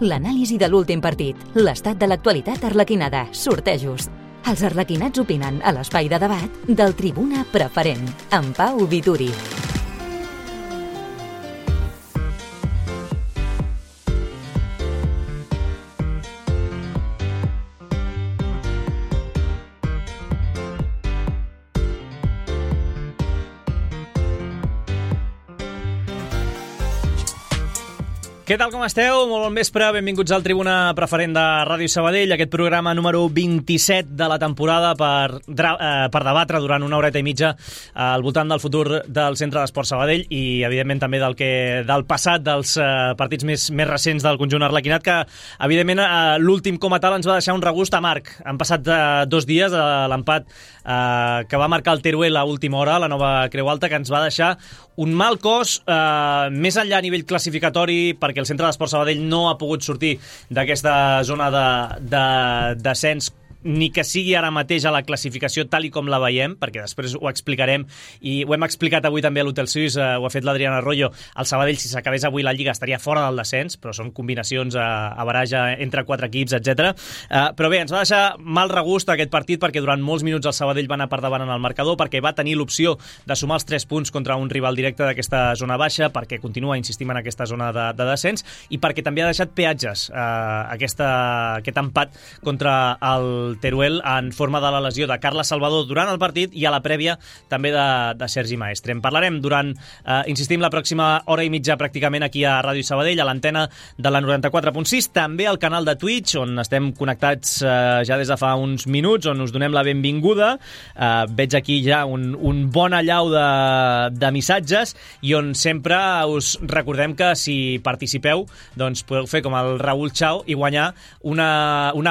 l'anàlisi de l'últim partit, l'estat de l'actualitat arlequinada, sortejos. Els arlequinats opinen a l'espai de debat del Tribuna Preferent, amb Pau Vituri. Què tal, com esteu? Molt bon vespre, benvinguts al Tribuna Preferent de Ràdio Sabadell, aquest programa número 27 de la temporada per debatre durant una horeta i mitja al voltant del futur del Centre d'Esport Sabadell i, evidentment, també del passat dels partits més recents del conjunt arlequinat, que, evidentment, l'últim com a tal ens va deixar un regust amarg. Han passat 2 dies de l'empat que va marcar el Teruel a última hora, la nova Creu Alta, que ens va deixar un mal cos, més enllà a nivell classificatori, perquè el Centre d'Esport Sabadell no ha pogut sortir d'aquesta zona de descens, ni que sigui ara mateix a la classificació tal i com la veiem, perquè després ho explicarem, i ho hem explicat avui també a l'Hotel Suís, ho ha fet l'Adriana Arroyo. El Sabadell, si s'acabés avui la Lliga, estaria fora del descens, però són combinacions a baraja entre 4 equips, etc. Però bé, ens va deixar mal regust aquest partit, perquè durant molts minuts el Sabadell va anar per davant en el marcador, perquè va tenir l'opció de sumar els 3 punts contra un rival directe d'aquesta zona baixa, perquè continua insistint en aquesta zona de descens, i perquè també ha deixat peatges aquest empat contra el Teruel en forma de la lesió de Carles Salvador durant el partit i a la prèvia també de Sergi Maestre. En parlarem durant, insistim, la pròxima hora i mitja pràcticament aquí a Ràdio Sabadell, a l'antena de la 94.6, també al canal de Twitch, on estem connectats ja des de fa uns minuts, on us donem la benvinguda. Veig aquí ja un bon allau de missatges i on sempre us recordem que si participeu, doncs podeu fer com el Raúl Chao i guanyar un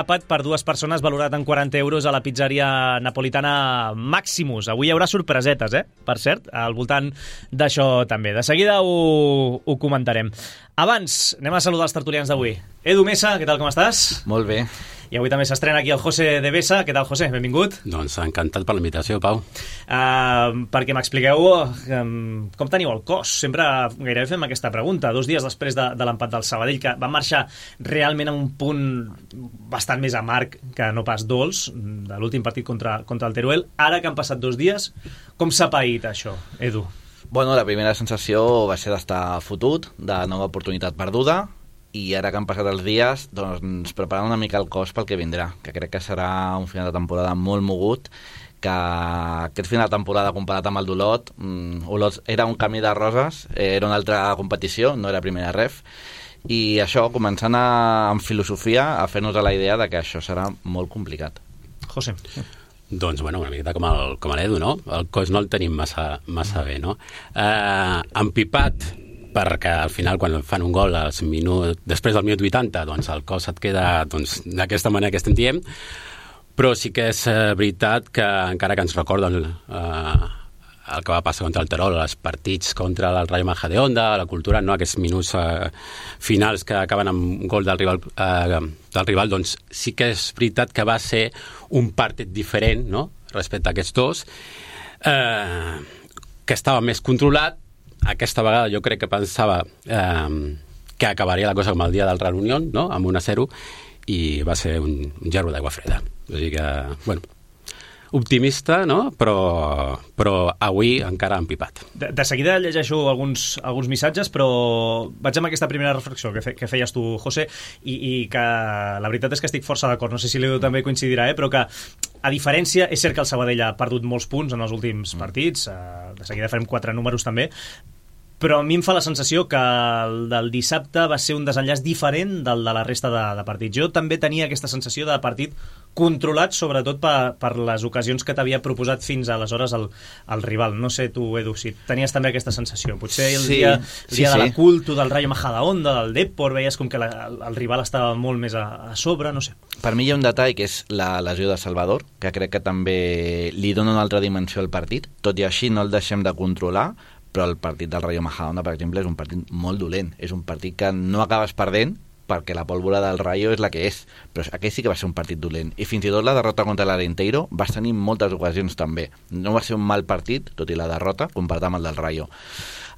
àpat per 2 persones valorat en 40 euros a la pizzeria napolitana Maximus. Avui hi haurà sorpresetes, per cert, al voltant d'això també. De seguida ho comentarem. Abans, anem a saludar els tertulians d'avui. Edu Mesa, què tal, com estàs? Molt bé. I avui també s'estrena aquí el José de Besa. Què tal, José? Benvingut. Doncs encantat per la invitació, Pau. Perquè m'expliqueu com teniu el cos. Sempre gairebé fem aquesta pregunta. 2 dies després de l'empat del Sabadell, que va marxar realment a un punt bastant més amarg que no pas dolç, de l'últim partit contra el Teruel. Ara que han passat 2 dies, com s'ha paït això, Edu? Bueno, la primera sensació va ser d'estar fotut, de nova oportunitat perduda, i ara que han passat els dies, doncs preparant una mica el cos pel que vindrà, que crec que serà un final de temporada molt mogut, que aquest final de temporada comparat amb el d'Olot, Olot era un camí de roses, era una altra competició, no era primera ref, i això, començant amb filosofia, a fer-nos a la idea de que això serà molt complicat. José. Doncs, bueno, una miqueta com l'Edu, no? El cos no el tenim massa bé, no? Empipat, perquè al final quan fan un gol després del minut 80, doncs el cos et queda d'aquesta manera que estem dient, però sí que és veritat que encara que ens recorden el que va passar contra el Terol, els partits contra el Rayo Majadahonda, la cultura, no? Aquests minuts finals que acaben amb un gol del rival, doncs sí que és veritat que va ser un partit diferent, no? Respecte a aquests dos, que estava més controlat. Aquesta vegada jo crec que pensava que acabaria la cosa com el dia del Real Unión, no? Amb 1-0, i va ser un gerro d'aigua freda. O sigui que, bueno, optimista, no? Però avui encara empipat. De seguida llegeixo alguns missatges, però vaig amb aquesta primera reflexió que feies tu, José, i que la veritat és que estic força d'acord. No sé si l'Edu també coincidirà, però que a diferència, és cert que el Sabadell ha perdut molts punts en els últims partits, de seguida farem 4 números també, però a mi em fa la sensació que el del dissabte va ser un desenllaç diferent del de la resta de partits. Jo també tenia aquesta sensació de partit controlat, sobretot per les ocasions que t'havia proposat fins aleshores el rival. No sé tu, Edu, si tenies també aquesta sensació. Potser el dia de la Culto, del Rayo Majadahonda, del Depor, veies com que el rival estava molt més a sobre, no sé. Per mi hi ha un detall que és la lesió de Salvador, que crec que també li dona una altra dimensió al partit. Tot i així no el deixem de controlar, però el partit del Rayo Majadahonda, per exemple, és un partit molt dolent. És un partit que no acabes perdent perquè la pólvora del Rayo és la que és, però aquest sí que va ser un partit dolent. I fins i tot la derrota contra l'Arenteiro vas tenir moltes ocasions també. No va ser un mal partit, tot i la derrota, comparat amb el del Rayo.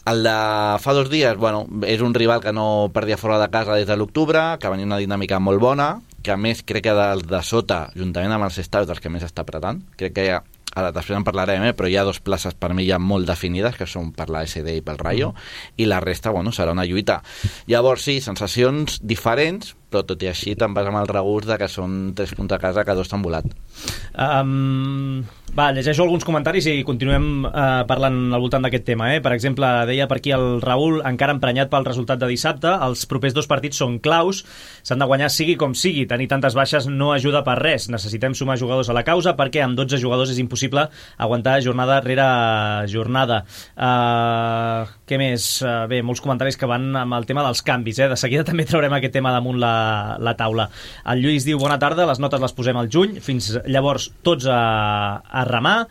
El de fa 2 dies, bueno, és un rival que no perdia fora de casa des de l'octubre, que venia una dinàmica molt bona, que a més crec que dels de sota, juntament amb els Stars, dels que més està apretant. Crec que ara després en parlarem, però hi ha 2 places per mi ja molt definides, que són per la SD i pel Rayo, i la resta, bueno, serà una lluita. Llavors, sí, sensacions diferents, però tot i així te'n vas amb el regust de que són 3 punts a casa que 2 t'han volat. Llegeixo alguns comentaris i continuem parlant al voltant d'aquest tema. Per exemple, deia per aquí el Raül, encara emprenyat pel resultat de dissabte, els propers 2 partits són claus, s'han de guanyar sigui com sigui, tenir tantes baixes no ajuda per res, necessitem sumar jugadors a la causa perquè amb 12 jugadors és impossible aguantar jornada rere jornada. Què més? Bé, molts comentaris que van amb el tema dels canvis, de seguida també traurem aquest tema damunt la taula. El Lluís diu, bona tarda, les notes les posem al juny, fins llavors tots a remar.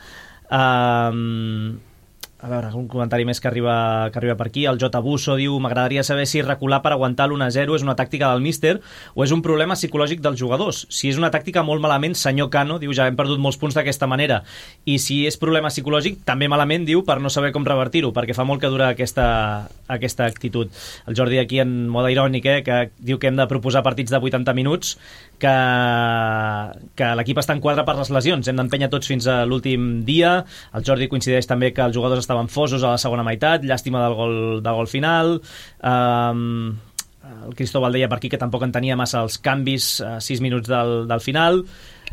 A veure, un comentari més que arriba per aquí. El J. Busso diu, m'agradaria saber si recular per aguantar l'1-0 és una tàctica del míster o és un problema psicològic dels jugadors. Si és una tàctica molt malament, senyor Cano, diu, ja hem perdut molts punts d'aquesta manera. I si és problema psicològic, també malament, diu, per no saber com revertir-ho, perquè fa molt que dura aquesta actitud. El Jordi aquí en mode irònic, que diu que hem de proposar partits de 80 minuts, que l'equip està en quadre per les lesions, hem d'empènyer tots fins a l'últim dia. El Jordi coincideix també que els jugadors estaven fosos a la segona meitat, llàstima del gol final. El Cristóbal deia per aquí que tampoc entenia massa els canvis a 6 minuts del final.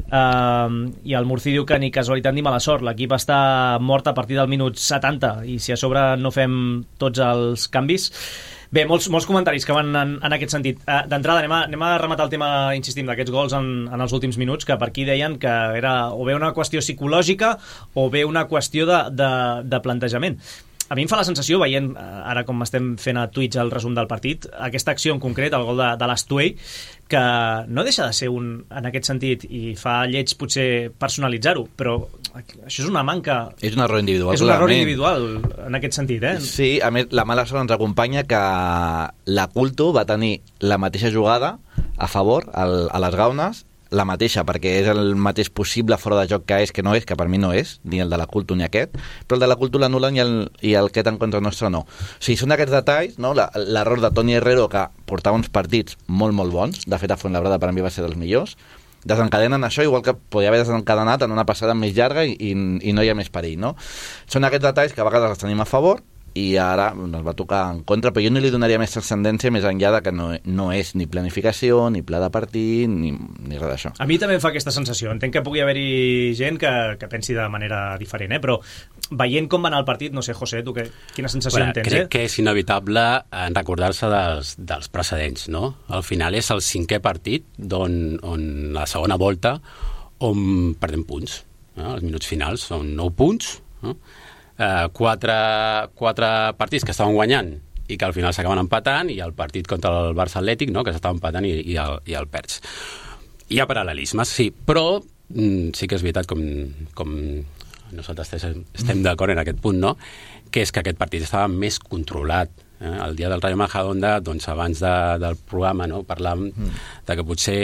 I el Murci diu que ni casualitat ni mala sort, l'equip està mort a partir del minut 70 i si a sobre no fem tots els canvis. Bé, molts comentaris que van en aquest sentit. D'entrada anem a rematar el tema, insistim, d'aquests gols en els últims minuts, que per aquí deien que era o bé una qüestió psicològica o bé una qüestió de plantejament. A mi em fa la sensació, veient ara com estem fent a Twitch el resum del partit, aquesta acció en concret, el gol de l'Astuey, que no deixa de ser en aquest sentit, i fa lleig potser personalitzar-ho, però això és una manca... És un error individual. És un error individual en aquest sentit, Sí, a més, la mala sort ens acompanya que la Culto va tenir la mateixa jugada a favor a les Gaunes, la mateixa, perquè és el mateix possible fora de joc que no és, que per mi no és, ni el de la Culto ni aquest, però el de la Culto l'anul·len i el que en contra nostre no. O sigui, són aquests detalls, no? L'error de Toni Herrero, que portava uns partits molt, molt bons, de fet a Fuenlabrada per mi va ser dels millors, desencadenen això, igual que podria haver desencadenat en una passada més llarga i no hi ha més perill, no? Són aquests detalls que a vegades els tenim a favor i ara ens va tocar en contra, però jo no li donaria més transcendència més enllà de que no és ni planificació, ni pla de partit, ni res d'això. A mi també em fa aquesta sensació. Entenc que pugui haver-hi gent que pensi de manera diferent, però veient com va anar el partit, no sé, José, tu quina sensació en tens? Crec que és inevitable recordar-se dels precedents, no? Al final és el 5è partit on la segona volta on perdem punts. Els minuts finals són 9 punts, no? 4 partits que estaven guanyant i que al final s'acaben empatant, i el partit contra el Barça Atlètic, no?, que s'estava empatant i el perds. Hi ha paral·lelismes, sí, però sí que és veritat, com nosaltres estem d'acord en aquest punt, no?, que és que aquest partit estava més controlat. El dia del Rayo Majadahonda, doncs abans del programa, no?, parlàvem de que potser...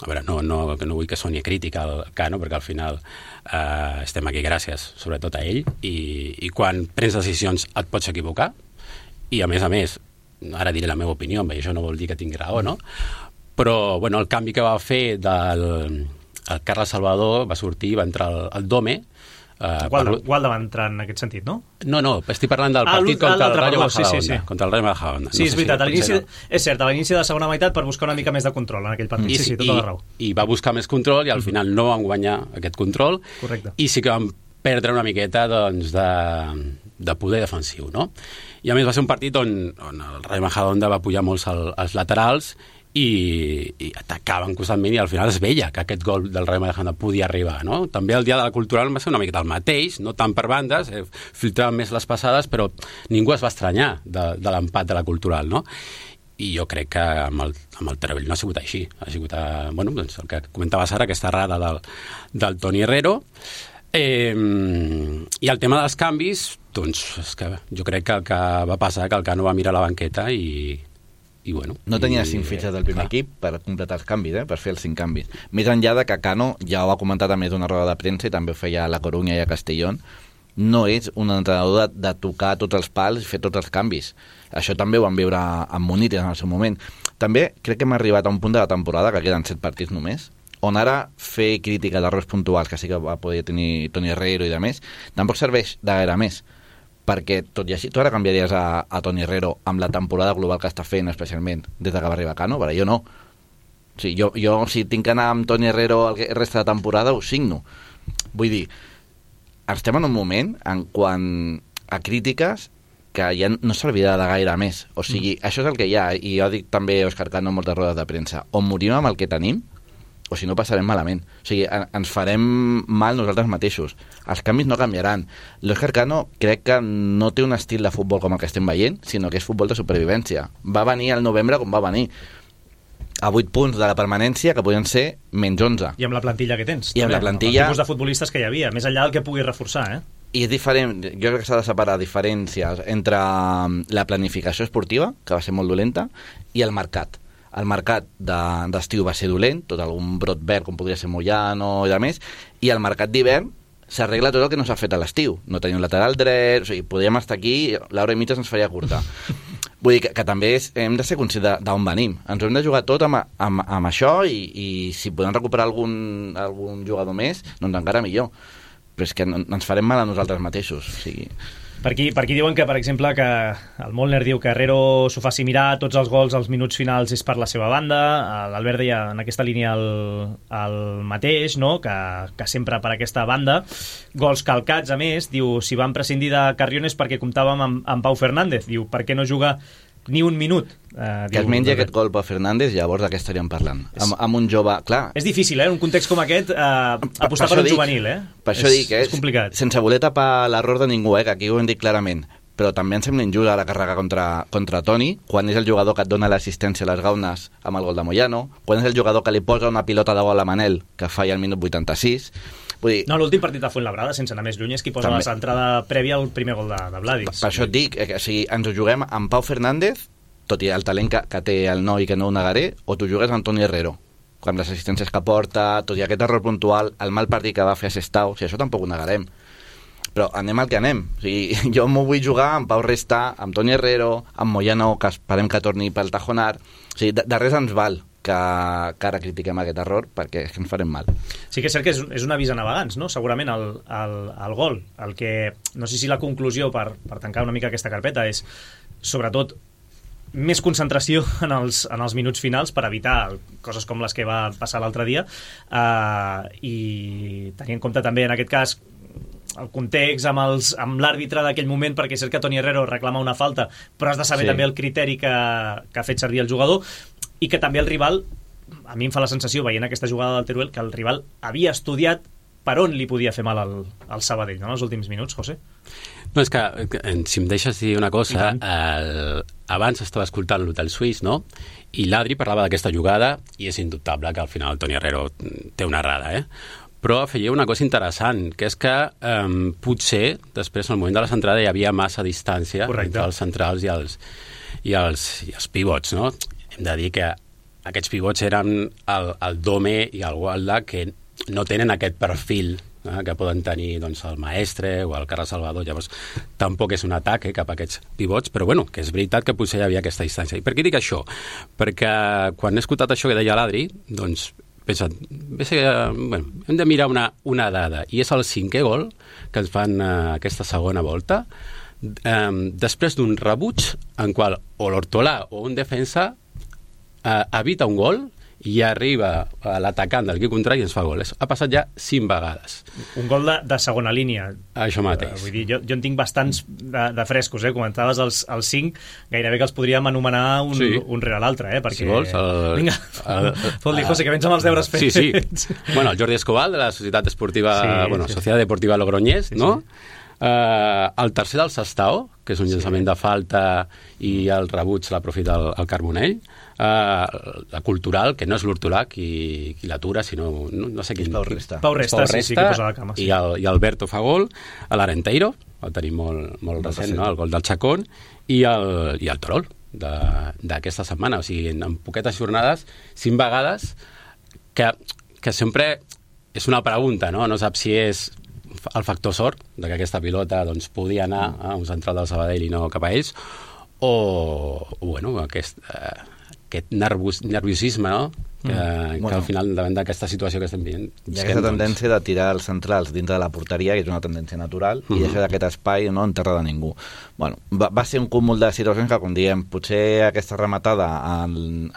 A veure, que no vull que soni crítica al Cano, perquè al final estem aquí gràcies, sobretot a ell, i quan prens decisions et pots equivocar, i a més, ara diré la meva opinió, això no vol dir que tingui raó, no? Però, bueno, el canvi que va fer el Carles Salvador va sortir, va entrar el Dome. Gualda va entrar en aquest sentit, no? No, estic parlant del partit contra el Rayo Majadahonda. Contra el Rayo Majadahonda. Sí, és veritat, és cert, a l'inici de la segona meitat per buscar una mica més de control en aquell partit. Sí, tota la raó. I va buscar més control i al final no van guanyar aquest control. Correcte. I sí que van perdre una miqueta doncs, de poder defensiu, no? I a més va ser un partit on el Rayo Majadahonda va pujar molts als laterals i atacaven constantment, i al final es veia que aquest gol del Rayo Majadahonda podia arribar, no? També el dia de la Cultural va ser una miqueta el mateix, no tant per bandes, filtraven més les passades, però ningú es va estranyar de l'empat de la Cultural, no? I jo crec que amb el Terovell no ha sigut així, ha sigut doncs el que comentaves ara, aquesta errada del Toni Herrero. I el tema dels canvis, doncs és que jo crec que el que va passar que el Cano va mirar la banqueta i bueno... No tenia 5 fitxes del primer equip per completar els canvis, per fer els 5 canvis. Més enllà de que Cano ja ho ha comentat a més d'una roda de premsa i també ho feia a La Coruña i a Castellón, no és un entrenador de tocar tots els pals i fer tots els canvis. Això també ho vam veure amb Munites en el seu moment. També crec que hem arribat a un punt de la temporada, que queden 7 partits només, on ara fer crítica d'errors puntuals, que sí que va poder tenir Toni Herrero i de més, tampoc serveix de gaire més, perquè tot i així tu ara canviaries a Toni Herrero amb la temporada global que està fent, especialment des que va arribar Cano, però jo no. O sigui, jo si tinc que anar amb Toni Herrero el resta de temporada, ho signo. Vull dir, estem en un moment en quant a crítiques que ja no servirà de gaire més. O sigui, això és el que hi ha, i jo dic també a Òscar Cano en moltes rodes de premsa, o morim amb el que tenim, o si no passarem malament. O sigui, ens farem mal nosaltres mateixos. Els canvis no canviaran. L'Òscar Cano crec que no té un estil de futbol com el que estem veient, sinó que és futbol de supervivència. Va venir al novembre com va venir, a 8 punts de la permanència, que podien ser menys 11. I amb la plantilla que tens. I amb la plantilla... El tipus de futbolistes que hi havia, més enllà del que pugui reforçar, I és diferent, jo crec que s'ha de separar diferències entre la planificació esportiva, que va ser molt dolenta, i el mercat. El mercat d'estiu va ser dolent, tot algun brot verd com podria ser Moyano i de més, i el mercat d'hivern s'arregla tot el que no s'ha fet a l'estiu. No tenim un lateral dret, o sigui, podríem estar aquí, l'hora i mitja se'ns faria curta. Vull dir que també hem de ser conscients d'on venim. Ens ho hem de jugar tot amb això i si podem recuperar algun jugador més, doncs encara millor. Però és que ens farem mal a nosaltres mateixos. O sigui... Per aquí diuen que, per exemple, que el Molnar diu que Herrero s'ho faci mirar, tots els gols als minuts finals és per la seva banda. L'Albert deia en aquesta línia el mateix, no? que sempre per aquesta banda. Gols calcats, a més, diu, si van prescindir de Carrion és perquè comptàvem amb Pau Fernández. Diu, per què no juga ni un minut? Que es mengi aquest gol Pau Fernández, llavors de què estaríem parlant? Amb un jove... Clar, és difícil, en un context com aquest, apostar per un juvenil, Per això dic, és complicat. Sense voler tapar l'error de ningú, que aquí ho hem dit clarament, però també em sembla injusta la càrrega contra Toni, quan és el jugador que et dona l'assistència a les gaunes amb el gol de Moyano, quan és el jugador que li posa una pilota de gol a Manel, que falla al minut 86... Vull dir, no, l'últim partit de Fuenlabrada, sense anar més lluny, és qui posa la centrada prèvia al primer gol de Vladis. Per això et dic, que si ens ho juguem amb Pau Fernández, tot i el talent que té el noi, que no ho negaré, o tu jugues amb Toni Herrero, amb les assistències que porta, tot i aquest error puntual, el mal partit que va fer a Sestao, si això tampoc ho negarem. Però anem al que anem. O sigui, jo m'ho vull jugar amb Pau Resta, amb Toni Herrero, amb Moyano, que esperem que torni pel Tajonar. O sigui, de res ens val que ara critiquem aquest error, perquè és que ens farem mal. Sí que és cert que és un avís a navegants, no? Segurament el gol. El que, no sé si la conclusió per tancar una mica aquesta carpeta és, sobretot, més concentració en els minuts finals per evitar coses com les que va passar l'altre dia, i tenir en compte també en aquest cas el context amb l'àrbitre d'aquell moment, perquè és cert que Toni Herrero reclama una falta, però has de saber també el criteri que ha fet servir el jugador, i que també el rival, a mi em fa la sensació veient aquesta jugada del Teruel, que el rival havia estudiat per on li podia fer mal al Sabadell, no? En els últims minuts, José? No, és que si em deixes dir una cosa, abans estava escoltant l'Hotel Suís, no? I l'Adri parlava d'aquesta jugada, i és indubtable que al final Toni Herrero té una errada, però afegia una cosa interessant, que és que potser després, en el moment de la centrada, hi havia massa distància entre els centrals i els pivots, no? Hem de dir que aquests pivots eren el Dome i el Walda, que no tenen aquest perfil que poden tenir doncs, el Maestre o el Carles Salvador. Llavors tampoc és un atac cap a aquests pivots, però bueno, que és veritat que potser hi havia aquesta distància. I per què dic això? Perquè quan he escoltat això que deia l'Adri, doncs pensa, hem de mirar una dada, i és el 5è gol que ens fan aquesta segona volta, després d'un rebuig en qual o l'Hortolà o un defensa evita un gol i arriba l'atacant del equip contrari i ens fa gol. Ha passat ja 5 vegades. Un gol de segona línia. Això mateix. Vull dir, jo en tinc bastants de frescos, Comentaves els 5, gairebé que els podríem anomenar un rere l'altre, perquè... Si vols, vinga, fot-li, José, que vens amb els deures fets. Sí. Bueno, el Jordi Escobar, de la Societat Esportiva, Societat Deportiva Logroñés, no? El tercer del Sestao, que és un llançament de falta i el rebuig l'aprofita el Carbonell. La Cultural, que no és l'Hortolà qui l'atura, sinó no sé quin... Pau Resta. Pau Resta, sí, que posa la cama. I Alberto fa gol, l'Arenteiro, el tenim molt recent, no? El gol del Chacón, i el Torol d'aquesta setmana. O sigui, en poquetes jornades, 5 vegades, que sempre és una pregunta, no? No saps si és el factor sort, de que aquesta pilota doncs, podia anar a un central del Sabadell i no cap a ells, o bueno, aquest nerviosisme, no? Que al final, davant d'aquesta situació que estem vivint... Hi ha aquesta tendència de tirar els centrals dintre de la porteria, que és una tendència natural, i deixar aquest espai no en terra de ningú. Bueno, va ser un cúmul de situacions que, com diem, potser aquesta rematada en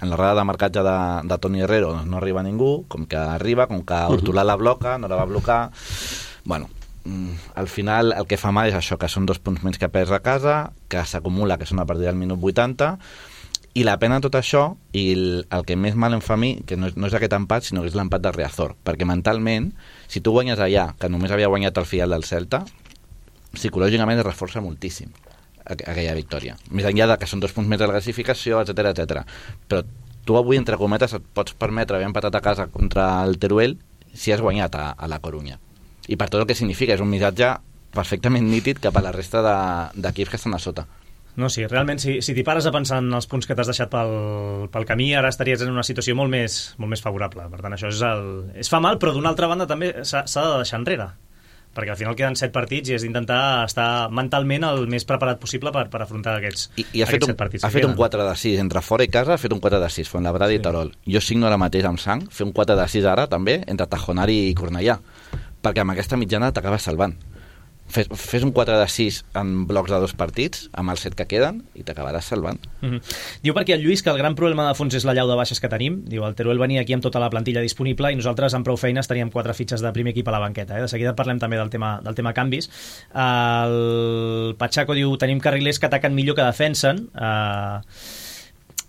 la roda de marcatge de Toni Herrero no arriba a ningú, com que arriba, com que Hortolà la bloca, no la va blocar... Bueno, al final el que fa mal és això, que són 2 punts menys que perds a casa, que s'acumula, que són a partir del minut 80, i la pena de tot això, i el que més mal em fa a mi, que no és aquest empat, sinó que és l'empat del Riazor, perquè mentalment, si tu guanyes allà, que només havia guanyat el filial del Celta, psicològicament es reforça moltíssim aquella victòria. Més enllà de que són 2 punts més de la classificació, etc. Però tu avui, entre cometes, et pots permetre haver empatat a casa contra el Teruel si has guanyat a la Corunya. I per tot el que significa, és un missatge perfectament nítid cap a la resta d'equips que estan a sota. No, sí, realment, si t'hi pares a pensar en els punts que t'has deixat pel camí, ara estaries en una situació molt més favorable. Per tant, això es fa mal, però d'una altra banda també s'ha de deixar enrere, perquè al final queden 7 partits i has d'intentar estar mentalment el més preparat possible per afrontar aquests 7 partits. Ha fet un 4 de 6 entre fora i casa, ha fet un 4 de 6 Fuenlabrada i Terol. Jo signo ara mateix amb sang, fer un 4 de 6 ara també entre Tajonari i Cornellà, perquè amb aquesta mitjana t'acabes salvant. Fes un 4 de 6 en blocs de 2 partits, amb els 7 que queden, i t'acabaràs salvant. Diu perquè el Lluís que el gran problema de fons és la llau de baixes que tenim. Diu, el Teruel venia aquí amb tota la plantilla disponible i nosaltres amb prou feines teníem 4 fitxes de primer equip a la banqueta. De seguida parlem també del tema canvis. El Pachaco diu, tenim carrilers que ataquen millor que defensen.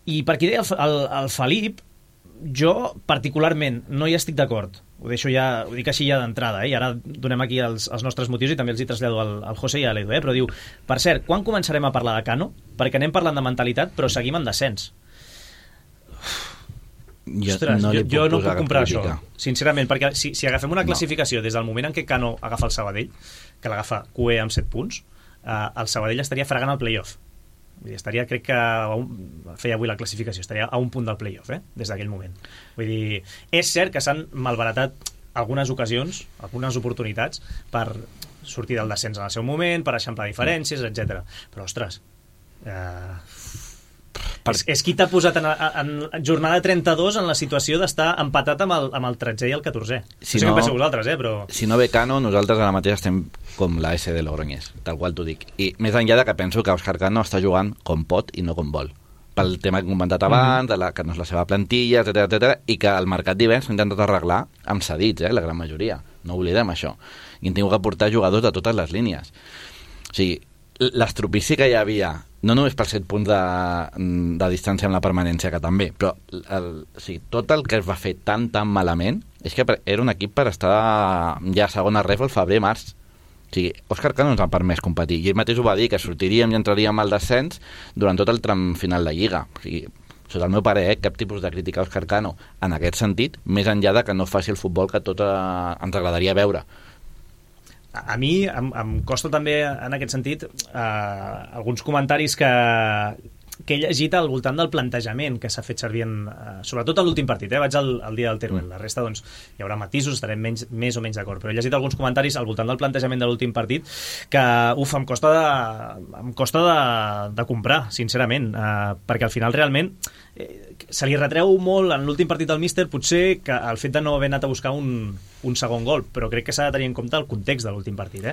I per aquí deia el Felip, jo particularment no hi estic d'acord. Ho dic així ja d'entrada, i ara donem aquí els nostres motius i també els hi trasllado al José i a l'Edu, però diu, per cert, quan començarem a parlar de Cano? Perquè anem parlant de mentalitat, però seguim en descens. Ostres, jo no puc comprar això, sincerament, perquè si agafem una classificació des del moment en què Cano agafa el Sabadell, que l'agafa QE amb 7 punts, el Sabadell estaria fregant el playoff. Estaria, crec que feia avui la classificació, estaria a un punt del playoff, des d'aquell moment. Vull dir, és cert que s'han malbaratat algunes ocasions, algunes oportunitats per sortir del descens en el seu moment, per eixamplar diferències, etc. Però, ostres, és qui t'ha posat en jornada 32 en la situació d'estar empatat amb el 13è i el 14è. No sé què penseu vosaltres, però... Si no ve Cano, nosaltres ara mateix estem com la S de Logroñés, tal qual t'ho dic. I més enllà de que penso que Òscar Cano està jugant com pot i no com vol. Pel tema que hem comentat abans, que no és la seva plantilla, etc, i que el mercat d'hivern s'ha intentat arreglar amb cedits, la gran majoria. No oblidem això. I hem tingut que portar jugadors de totes les línies. O sigui, l'estropici que hi havia, no només per 7 punts de distància amb la permanència, que també, però tot el que es va fer tan malament és que era un equip per estar ja a segona ref al febrer-març. O sigui, Òscar Cano ens ha permès competir, i ell mateix ho va dir, que sortiríem i entraríem al descens durant tot el tram final de Lliga. O sigui, sota el meu parer, cap tipus de crítica a Òscar Cano en aquest sentit, més enllà de que no faci el futbol que tot ens agradaria veure. A mi em costa també, en aquest sentit, alguns comentaris que he llegit al voltant del plantejament que s'ha fet servir sobretot a l'últim partit, vaig al dia del Teruel, la resta doncs hi haurà matisos, estarem més o menys d'acord, però he llegit alguns comentaris al voltant del plantejament de l'últim partit que, em costa de comprar, sincerament, perquè al final realment se li retreu molt en l'últim partit del míster potser que el fet de no haver anat a buscar un segon gol, però crec que s'ha de tenir en compte el context de l'últim partit,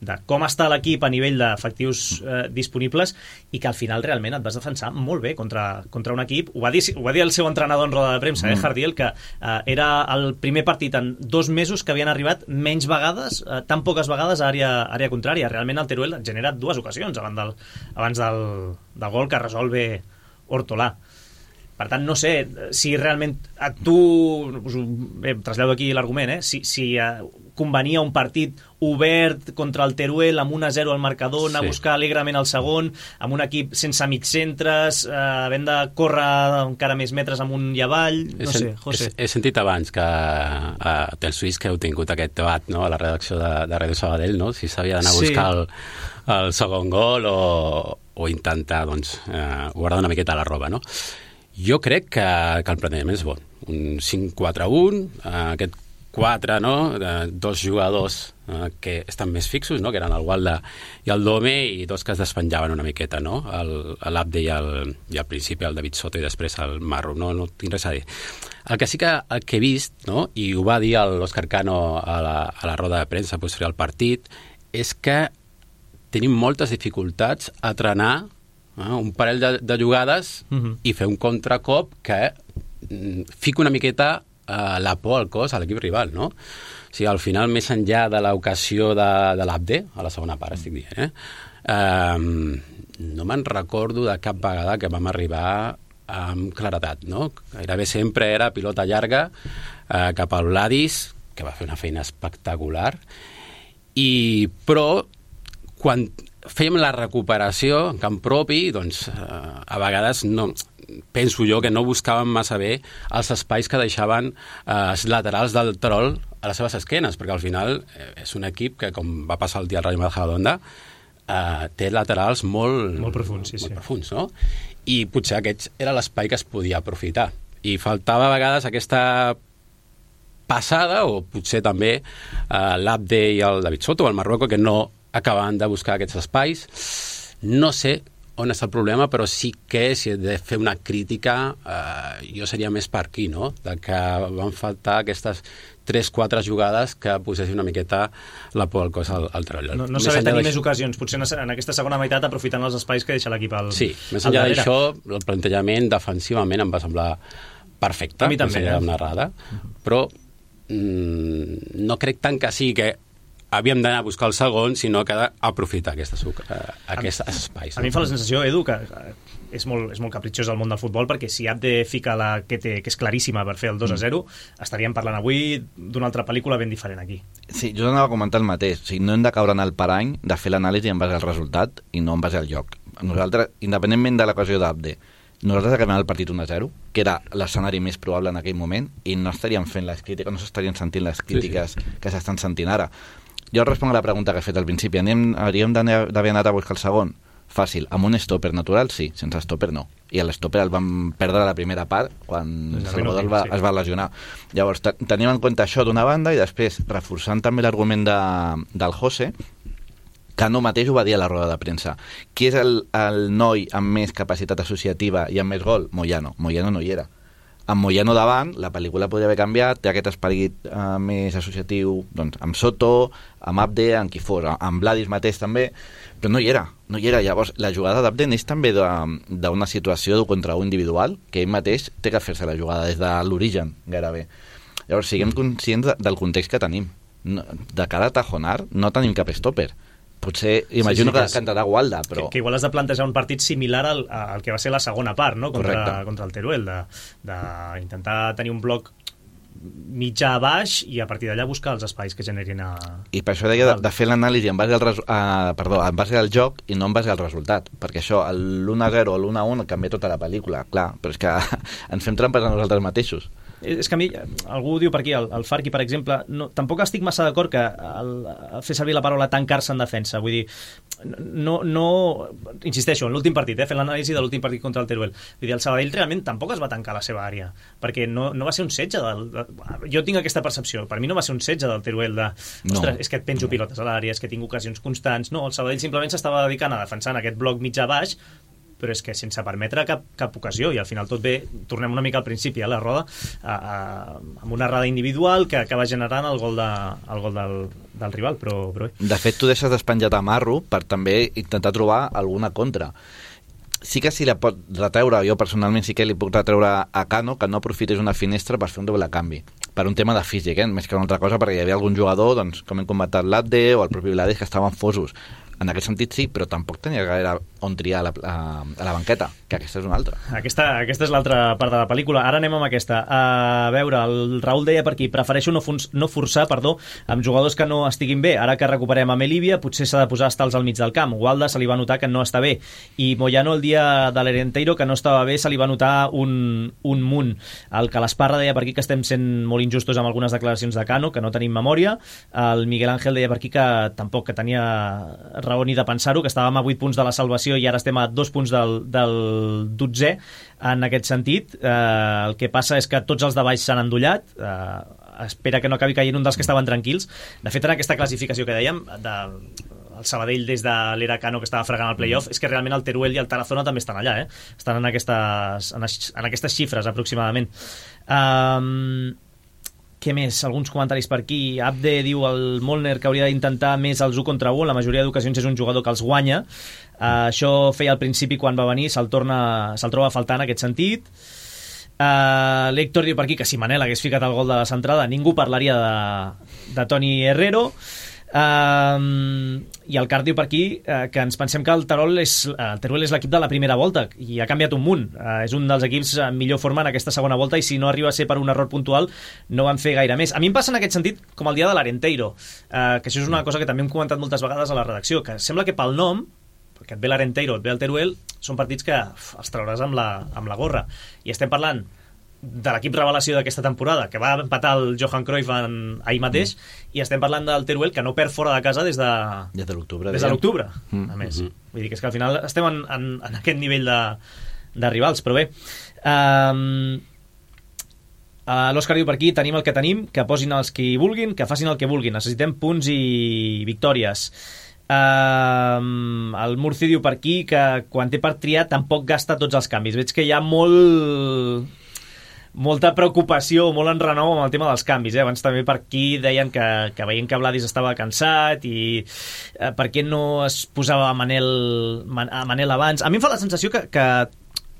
de com està l'equip a nivell d'efectius disponibles, i que al final realment et vas defensar molt bé contra un equip. Ho va dir el seu entrenador en roda de premsa, Jardiel, que era el primer partit en 2 mesos que havien arribat menys vegades, tan poques vegades a àrea contrària. Realment el Teruel ha generat 2 ocasions abans del gol que resol bé Hortolà. Per tant, no sé si realment trasllado aquí l'argument, si convenia un partit obert contra el Teruel amb 1-0 al marcador, anar a buscar alegrement el segon, amb un equip sense mig centres, havent de córrer encara més metres amunt i avall. No sé, José. He sentit abans que a Tel Suís que heu tingut aquest debat, no?, a la redacció de Ràdio Sabadell, no?, si s'havia d'anar a buscar el segon gol o intentar guardar una miqueta la roba, no? Jo crec que el plantejament és bon. Un 5-4-1, aquest 4, no? Dos jugadors que estan més fixos, no? Que eren el Walda i el Dome, i dos que es despenjaven una miqueta, no? L'Abde i al principi el David Soto i després el Marro, no tinc res a dir. El que sí que he vist, no? I ho va dir l'Òscar Cano a la roda de premsa posterior al partit, és que tenim moltes dificultats a trenar un parell de jugades i fer un contracop que fica una miqueta la por al cos a l'equip rival, no? O sigui, al final, més enllà de l'ocasió de l'Abde, a la segona part estic dient, no me'n recordo de cap vegada que vam arribar amb claredat, no? Gairebé sempre era pilota llarga cap al Vladis, que va fer una feina espectacular, però quan fèiem la recuperació en camp propi, doncs a vegades penso jo que no buscaven massa bé els espais que deixaven els laterals del Terol a les seves esquenes, perquè al final és un equip que, com va passar el dia al Rayo Majadahonda, té laterals molt profuns, molt profuns, no? I potser aquest era l'espai que es podia aprofitar. I faltava a vegades aquesta passada, o potser també l'Abde i el David Soto o el Marruecos, que no acabaven de buscar aquests espais. No sé on és el problema, però sí que si he de fer una crítica jo seria més per aquí, no? De que van faltar aquestes 3-4 jugades que posessin una miqueta la por al cos al Terol. No saber tenir més ocasions, potser en aquesta segona meitat aprofitant els espais que deixa l'equip al Sí, més enllà d'això, el plantejament defensivament em va semblar perfecte, a mi també, narrada, però no crec tant que sí que havíem d'anar a buscar el segon, sinó que d'aprofitar aquests espais. A mi em fa la sensació, Edu, que és molt capritxós el món del futbol, perquè si Abde fica la que és claríssima per fer el 2-0, estaríem parlant avui d'una altra pel·lícula ben diferent aquí. Sí, jo anava a comentar el mateix. O sigui, no hem de caure en el parany de fer l'anàlisi en base al resultat i no en base al joc. Nosaltres, independentment de l'ocasió d'Abde, nosaltres acabem el partit 1-0, que era l'escenari més probable en aquell moment, i no estaríem fent les crítiques, no s'estarien sentint les crítiques que s'estan sentint ara. Jo responc a la pregunta que he fet al principi. Hauríem d'haver anat a buscar el segon? Fàcil. Amb un stopper natural, sí. Sense stopper, no. I l'stopper el vam perdre a la primera part quan Salvador es va lesionar. Llavors, tenim en compte això d'una banda i després, reforçant també l'argument del José, que no mateix ho va dir a la roda de premsa. Qui és el noi amb més capacitat associativa i amb més gol? Moyano. Moyano no hi era. Amb Moyano davant, la pel·lícula podria haver canviat, té aquest esperit més associatiu doncs, amb Soto, amb Abde, amb qui fos, amb Vladis mateix també, però no hi era. Llavors, la jugada d'Abde neix també d'una situació d'un contra un individual, que ell mateix té que fer-se la jugada des de l'origen, gairebé. Llavors, siguem conscients del context que tenim. De cara a Tajonar no tenim cap stopper. Potser, imagino que cantarà Walda, però... Que igual has de plantejar un partit similar al que va ser la segona part, no? Contra el Teruel, d'intentar tenir un bloc mitjà a baix i a partir d'allà buscar els espais que generin I per això deia de fer l'anàlisi en base al joc i no en base al resultat, perquè això, l'1-0 o l'1-1 canvia tota la pel·lícula, clar, però és que ens fem trampes a nosaltres mateixos. És que a mi, algú diu per aquí, el Farqui, per exemple, tampoc estic massa d'acord que fer servir la paraula tancar-se en defensa. Vull dir, no insisteixo, en l'últim partit, fent l'anàlisi de l'últim partit contra el Teruel. Vull dir, el Sabadell realment tampoc es va tancar a la seva àrea, perquè no va ser un setge jo tinc aquesta percepció, per mi no va ser un setge del Teruel ostres, és que et penjo pilotes a l'àrea, és que tinc ocasions constants. No, el Sabadell simplement s'estava dedicant a defensar aquest bloc mitjà-baix, però és que sense permetre cap ocasió, i al final tot bé, tornem una mica al principi a la roda, amb una errada individual que acaba generant el gol del rival, però bé. De fet, tu deixes despenjat a Marro per també intentar trobar alguna contra. Sí que si la pot retreure, jo personalment sí que li puc retreure a Cano que no aprofités una finestra per fer un doble canvi, per un tema de físic, més que una altra cosa, perquè hi havia algun jugador, doncs, com hem comentat l'Abde o el propi Vladis, que estaven fosos. En aquest sentit sí, però tampoc tenia gaire on triar a la banqueta, que aquesta és una altra. Aquesta és l'altra part de la pel·lícula. Ara anem amb aquesta. A veure, el Raül deia per aquí, prefereixo no forçar amb jugadors que no estiguin bé. Ara que recuperem a Melívia, potser s'ha de posar estals al mig del camp. Walda se li va notar que no està bé. I Moyano, el dia de l'Herenteiro, que no estava bé, se li va notar un munt. El que l'Esparra deia per aquí que estem sent molt injustos amb algunes declaracions de Cano, que no tenim memòria. El Miguel Ángel deia per aquí que tampoc, que tenia raó ni de pensar-ho, que estàvem a 8 punts de la salvació i ara estem a 2 punts del 12è en aquest sentit. El que passa és que tots els de baix s'han endollat, espera que no acabi caient un dels que estaven tranquils. De fet, en aquesta classificació que dèiem, el Sabadell des de l'era Cano, que estava fregant el play-off, és que realment el Teruel i el Tarazona també estan allà, estan en aquestes xifres aproximadament. Què més? Alguns comentaris per aquí. Abde diu el Molner que hauria d'intentar més els 1 contra 1. La majoria d'ocasions és un jugador que els guanya. Això feia al principi quan va venir, se'l troba a faltar en aquest sentit. L'Héctor diu per aquí que si Manel hagués ficat el gol de la centrada ningú parlaria de Toni Herrero. I el Card diu per aquí que ens pensem que el Teruel és l'equip de la primera volta i ha canviat un munt, és un dels equips en millor forma en aquesta segona volta i si no arriba a ser per un error puntual no van fer gaire més. A mi em passa en aquest sentit com el dia de l'Arenteiro, que això és una cosa que també hem comentat moltes vegades a la redacció, que sembla que pel nom, perquè et ve l'Arenteiro, et ve el Teruel, són partits que els trauràs amb la gorra, i estem parlant de l'equip revelació d'aquesta temporada, que va empatar el Johan Cruyff ahir mateix, i estem parlant del Teruel, que no perd fora de casa des de l'octubre. A més. Vull dir que és que al final estem en aquest nivell de rivals, però bé. L'Òscar diu per aquí, tenim el que tenim, que posin els que vulguin, que facin el que vulguin, necessitem punts i victòries. El Murci diu per aquí que quan té per triar tampoc gasta tots els canvis. Veig que hi ha molta preocupació, molt enrenou amb el tema dels canvis. Abans també per aquí deien que veien que Vladis estava cansat i per què no es posava a Manel abans. A mi em fa la sensació que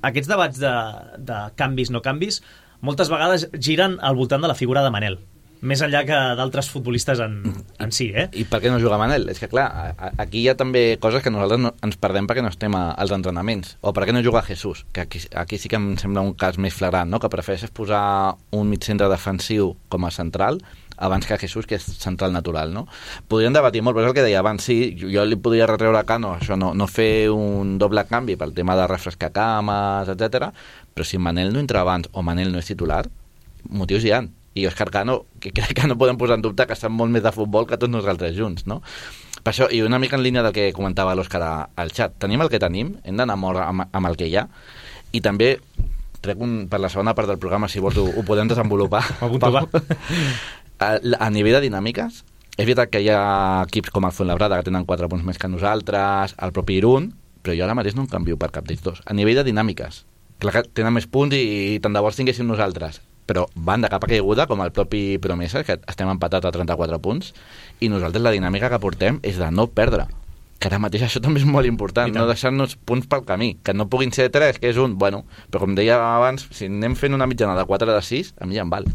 aquests debats de canvis, no canvis, moltes vegades giren al voltant de la figura de Manel, més enllà que d'altres futbolistes en si, I per què no juga Manel? És que clar, aquí hi ha també coses que nosaltres ens perdem perquè no estem als entrenaments. O per què no juga Jesús? Que aquí sí que em sembla un cas més flagrant, no? Que prefereixes posar un mitjcentre defensiu com a central abans que Jesús, que és central natural, no? Podríem debatir molt, però és el que deia abans, sí, jo li podria retreure a Cano això, no fer un doble canvi pel tema de refrescar cames, etc. Però si Manel no entra abans o Manel no és titular, motius hi ha. I Òscar Cano, que crec que no podem posar en dubte que sap molt més de futbol que tots nosaltres junts, no? Per això, i una mica en línia del que comentava l'Òscar al xat, tenim el que tenim, hem d'anar molt amb el que hi ha, i també trec per la segona part del programa, si vols ho podem desenvolupar. A nivell de dinàmiques, és veritat que hi ha equips com el Fuenlabrada que tenen 4 punts més que nosaltres, el propi Irún, però jo ara mateix no em canvio per cap d'ells dos. A nivell de dinàmiques, clar que tenen més punts i tant de bo els tinguéssim nosaltres, però van de capa caiguda, com el propi Promesa, que estem empatats a 34 punts, i nosaltres la dinàmica que portem és de no perdre, que ara mateix això també és molt important, no deixar-nos punts pel camí, que no puguin ser 3, que és un, bueno, però com deia abans, si anem fent una mitjana de 4 de 6, a mi ja em val.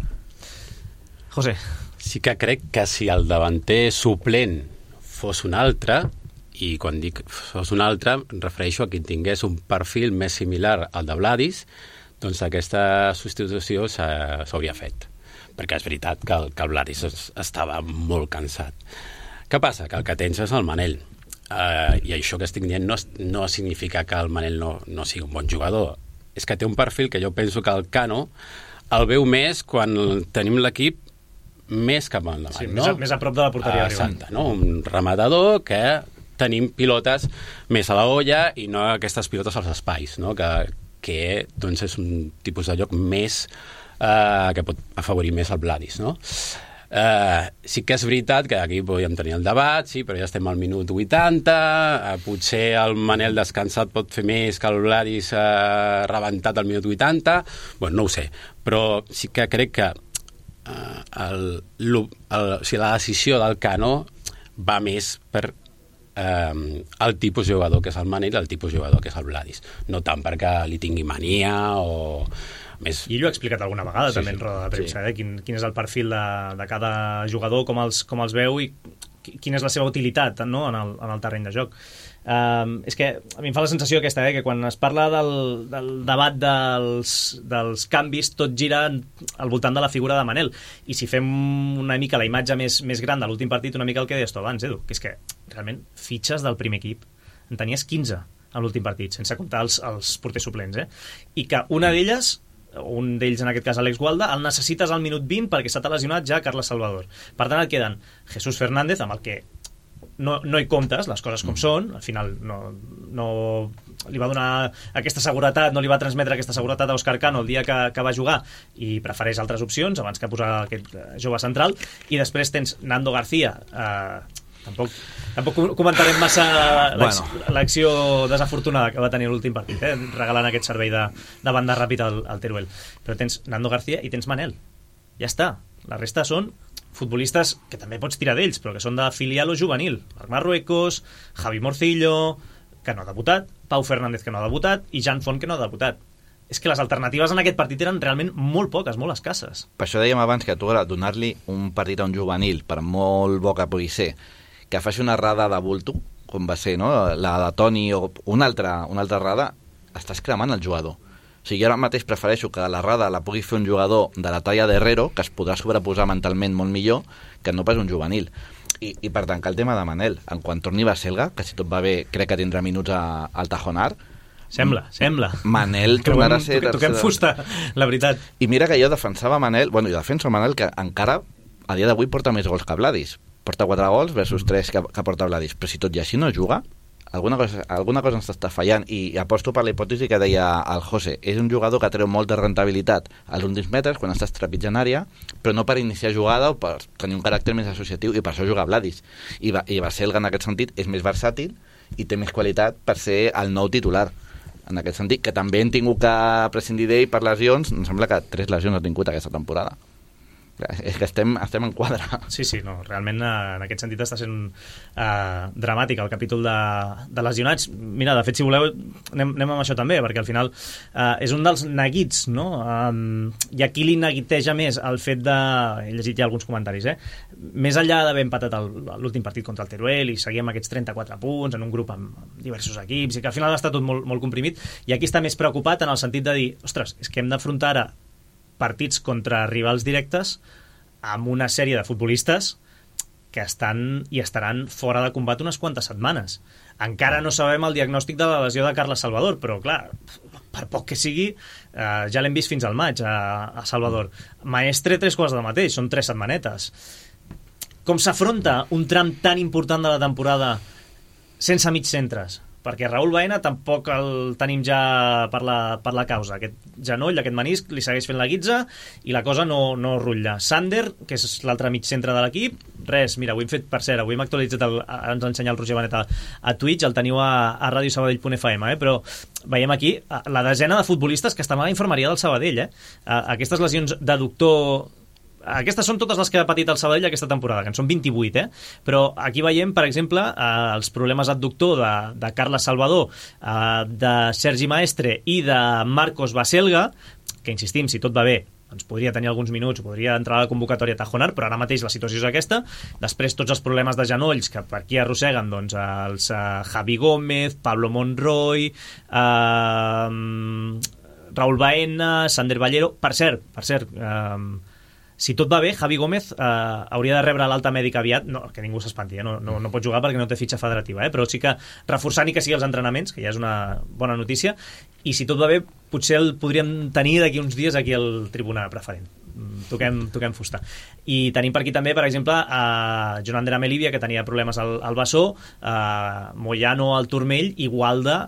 José. Sí que crec que si el davanter suplent fos un altre, i quan dic fos un altre, em refereixo a qui tingués un perfil més similar al de Vladis, doncs aquesta substitució s'hauria fet, perquè és veritat que el Vladis estava molt cansat. Què passa? Que el que tens és el Manel, i això que estic dient no significa que el Manel no sigui un bon jugador, és que té un perfil que jo penso que el Cano el veu més quan tenim l'equip més cap endavant, sí, no? Més a prop de la porteria exacte, no? Un rematador que tenim pilotes més a la olla i no aquestes pilotes als espais, no? Que doncs és un tipus de lloc més que pot afavorir més el Vladis, no? Sí que és veritat que aquí podríem tenir el debat, sí, però ja estem al minut 80, potser el Manel descansat pot fer més que el Vladis rebentat al minut 80, bueno, no ho sé, però sí que crec que la decisió del Cano va més per el tipus de jugador que és el Manel i el tipus de jugador que és el Vladis, no tant perquè li tingui mania o més... I ell ho ha explicat alguna vegada també en roda de premsa, quin és el perfil de cada jugador, com els veu i quina és la seva utilitat, no? en el terreny de joc. És que a mi em fa la sensació aquesta, que quan es parla del debat dels canvis tot gira al voltant de la figura de Manel, i si fem una mica la imatge més gran de l'últim partit, una mica el que deies tu abans, Edu, que és que realment fitxes del primer equip en tenies 15 a l'últim partit, sense comptar els porters suplents, i que una d'elles, un d'ells en aquest cas Àlex Gualda, el necessites al minut 20 perquè s'ha lesionat ja Carles Salvador. Per tant et queden Jesús Fernández, amb el que no hi comptes, les coses com són, al final no li va donar aquesta seguretat, no li va transmetre aquesta seguretat a Óscar Cano el dia que va jugar, i prefereix altres opcions abans que posar aquest jove central. I després tens Nando García, tampoc comentarem massa l'acció desafortunada que va tenir l'últim partit, regalant aquest servei de banda ràpid al Teruel. Però tens Nando García i tens Manel, ja està. La resta són futbolistes que també pots tirar d'ells, però que són de filial o juvenil. Marc Marruecos, Javi Morcillo, que no ha debutat, Pau Fernández, que no ha debutat, i Jan Font, que no ha debutat. És que les alternatives en aquest partit eren realment molt poques, molt escasses. Per això dèiem abans que tu donar-li un partit a un juvenil, per molt bo que pugui ser, que faci una errada de bulto, com va ser, no? La de Toni o una altra errada, estàs cremant el jugador. O sigui, jo ara mateix prefereixo que l'errada la pugui fer un jugador de la talla d'Herrero, que es podrà sobreposar mentalment molt millor, que no pas un juvenil. I per tancar el tema de Manel, en quan torni Baselga, que si tot va bé crec que tindrà minuts al Tajonar, Sembla. Manel tornarà a ser... Toquem fusta, la veritat. I mira que jo defensava Manel, jo defenso Manel, que encara a dia d'avui porta més gols que Vladis. Porta 4 gols versus 3 que porta Vladis. Però si tot i així no juga, alguna cosa ens està fallant, i aposto per la hipòtesi que deia el José. És un jugador que treu molta rentabilitat als últims metres quan estàs trepitjant àrea, però no per iniciar jugada o per tenir un caràcter més associatiu, i per això juga Vladis. I Baselga en aquest sentit és més versàtil i té més qualitat per ser el nou titular. En aquest sentit, que també hem tingut que prescindir d'ell per lesions. Em sembla que 3 lesions ha tingut aquesta temporada. És que estem en quadre. Sí, no, realment en aquest sentit està sent dramàtic el capítol de lesionats. Mira, de fet, si voleu, anem amb això també, perquè al final és un dels neguits, no? I aquí li neguiteja més el fet de... He llegit ja alguns comentaris, més enllà d'haver empatat l'últim partit contra el Teruel i seguir amb aquests 34 punts en un grup amb diversos equips, i que al final està tot molt, molt comprimit, i aquí està més preocupat en el sentit de dir, ostres, és que hem d'afrontar ara partits contra rivals directes amb una sèrie de futbolistes que estan i estaran fora de combat unes quantes setmanes. Encara no sabem el diagnòstic de la lesió de Carles Salvador, però clar, per poc que sigui, ja l'hem vist fins al maig a Salvador. Maestre, 3 quarts del mateix, són 3 setmanetes. Com s'afronta un tram tan important de la temporada sense mig centres? Perquè Raúl Baena tampoc el tenim ja per la causa. Aquest genoll, aquest menisc, li segueix fent la guitza i la cosa no rutlla. Sander, que és l'altre mig centre de l'equip, res, mira, ho hem fet, per cert, avui hem actualitzat, ens ha ensenyat el Roger Benet a Twitch, el teniu a radiosabadell.fm, però veiem aquí la desena de futbolistes que estan a la infermeria del Sabadell. Aquestes lesions d'adductor... Aquestes són totes les que ha patit el Sabadell aquesta temporada, que en són 28, però aquí veiem, per exemple, els problemes adductor de Carles Salvador, de Sergi Maestre i de Marcos Baselga, que insistim, si tot va bé, doncs podria tenir alguns minuts, podria entrar a la convocatòria Tajonar, però ara mateix la situació és aquesta. Després tots els problemes de genolls que per aquí arrosseguen doncs, els Javi Gómez, Pablo Monroy, Raúl Baena, Sander Ballero. Per cert, si tot va bé, Javi Gómez hauria de rebre l'alta mèdica aviat, no, que ningú s'espanti, no pot jugar perquè no té fitxa federativa, però sí que reforçant i que sigui els entrenaments, que ja és una bona notícia, i si tot va bé, potser el podríem tenir d'aquí uns dies aquí al Tribuna Preferent. Toquem fusta. I tenim per aquí també, per exemple, Joan Ander Amelivia, que tenia problemes al bessó, Moyano al turmell i Gualda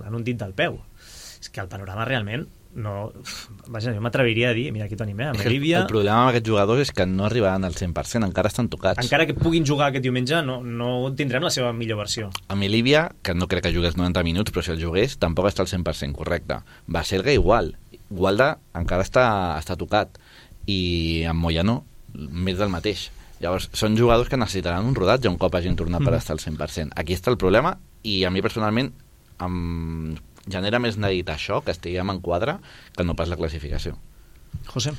en un dit del peu. És que el panorama realment vaja, jo m'atreviria a dir, mira aquí tenim, Amelivia... El problema amb aquests jugadors és que no arribaran al 100%, encara estan tocats. Encara que puguin jugar aquest diumenge, no tindrem la seva millor versió. Amelivia, que no crec que jugués 90 minuts, però si el jugués, tampoc està al 100%, correcte. Baselga igual. Gualda encara està tocat. I amb Moyano, més del mateix. Llavors, són jugadors que necessitaran un rodatge un cop hagin tornat per estar al 100%. Aquí està el problema, i a mi personalment genera més neguit això, que estiguem en quadre, que no pas la classificació. José?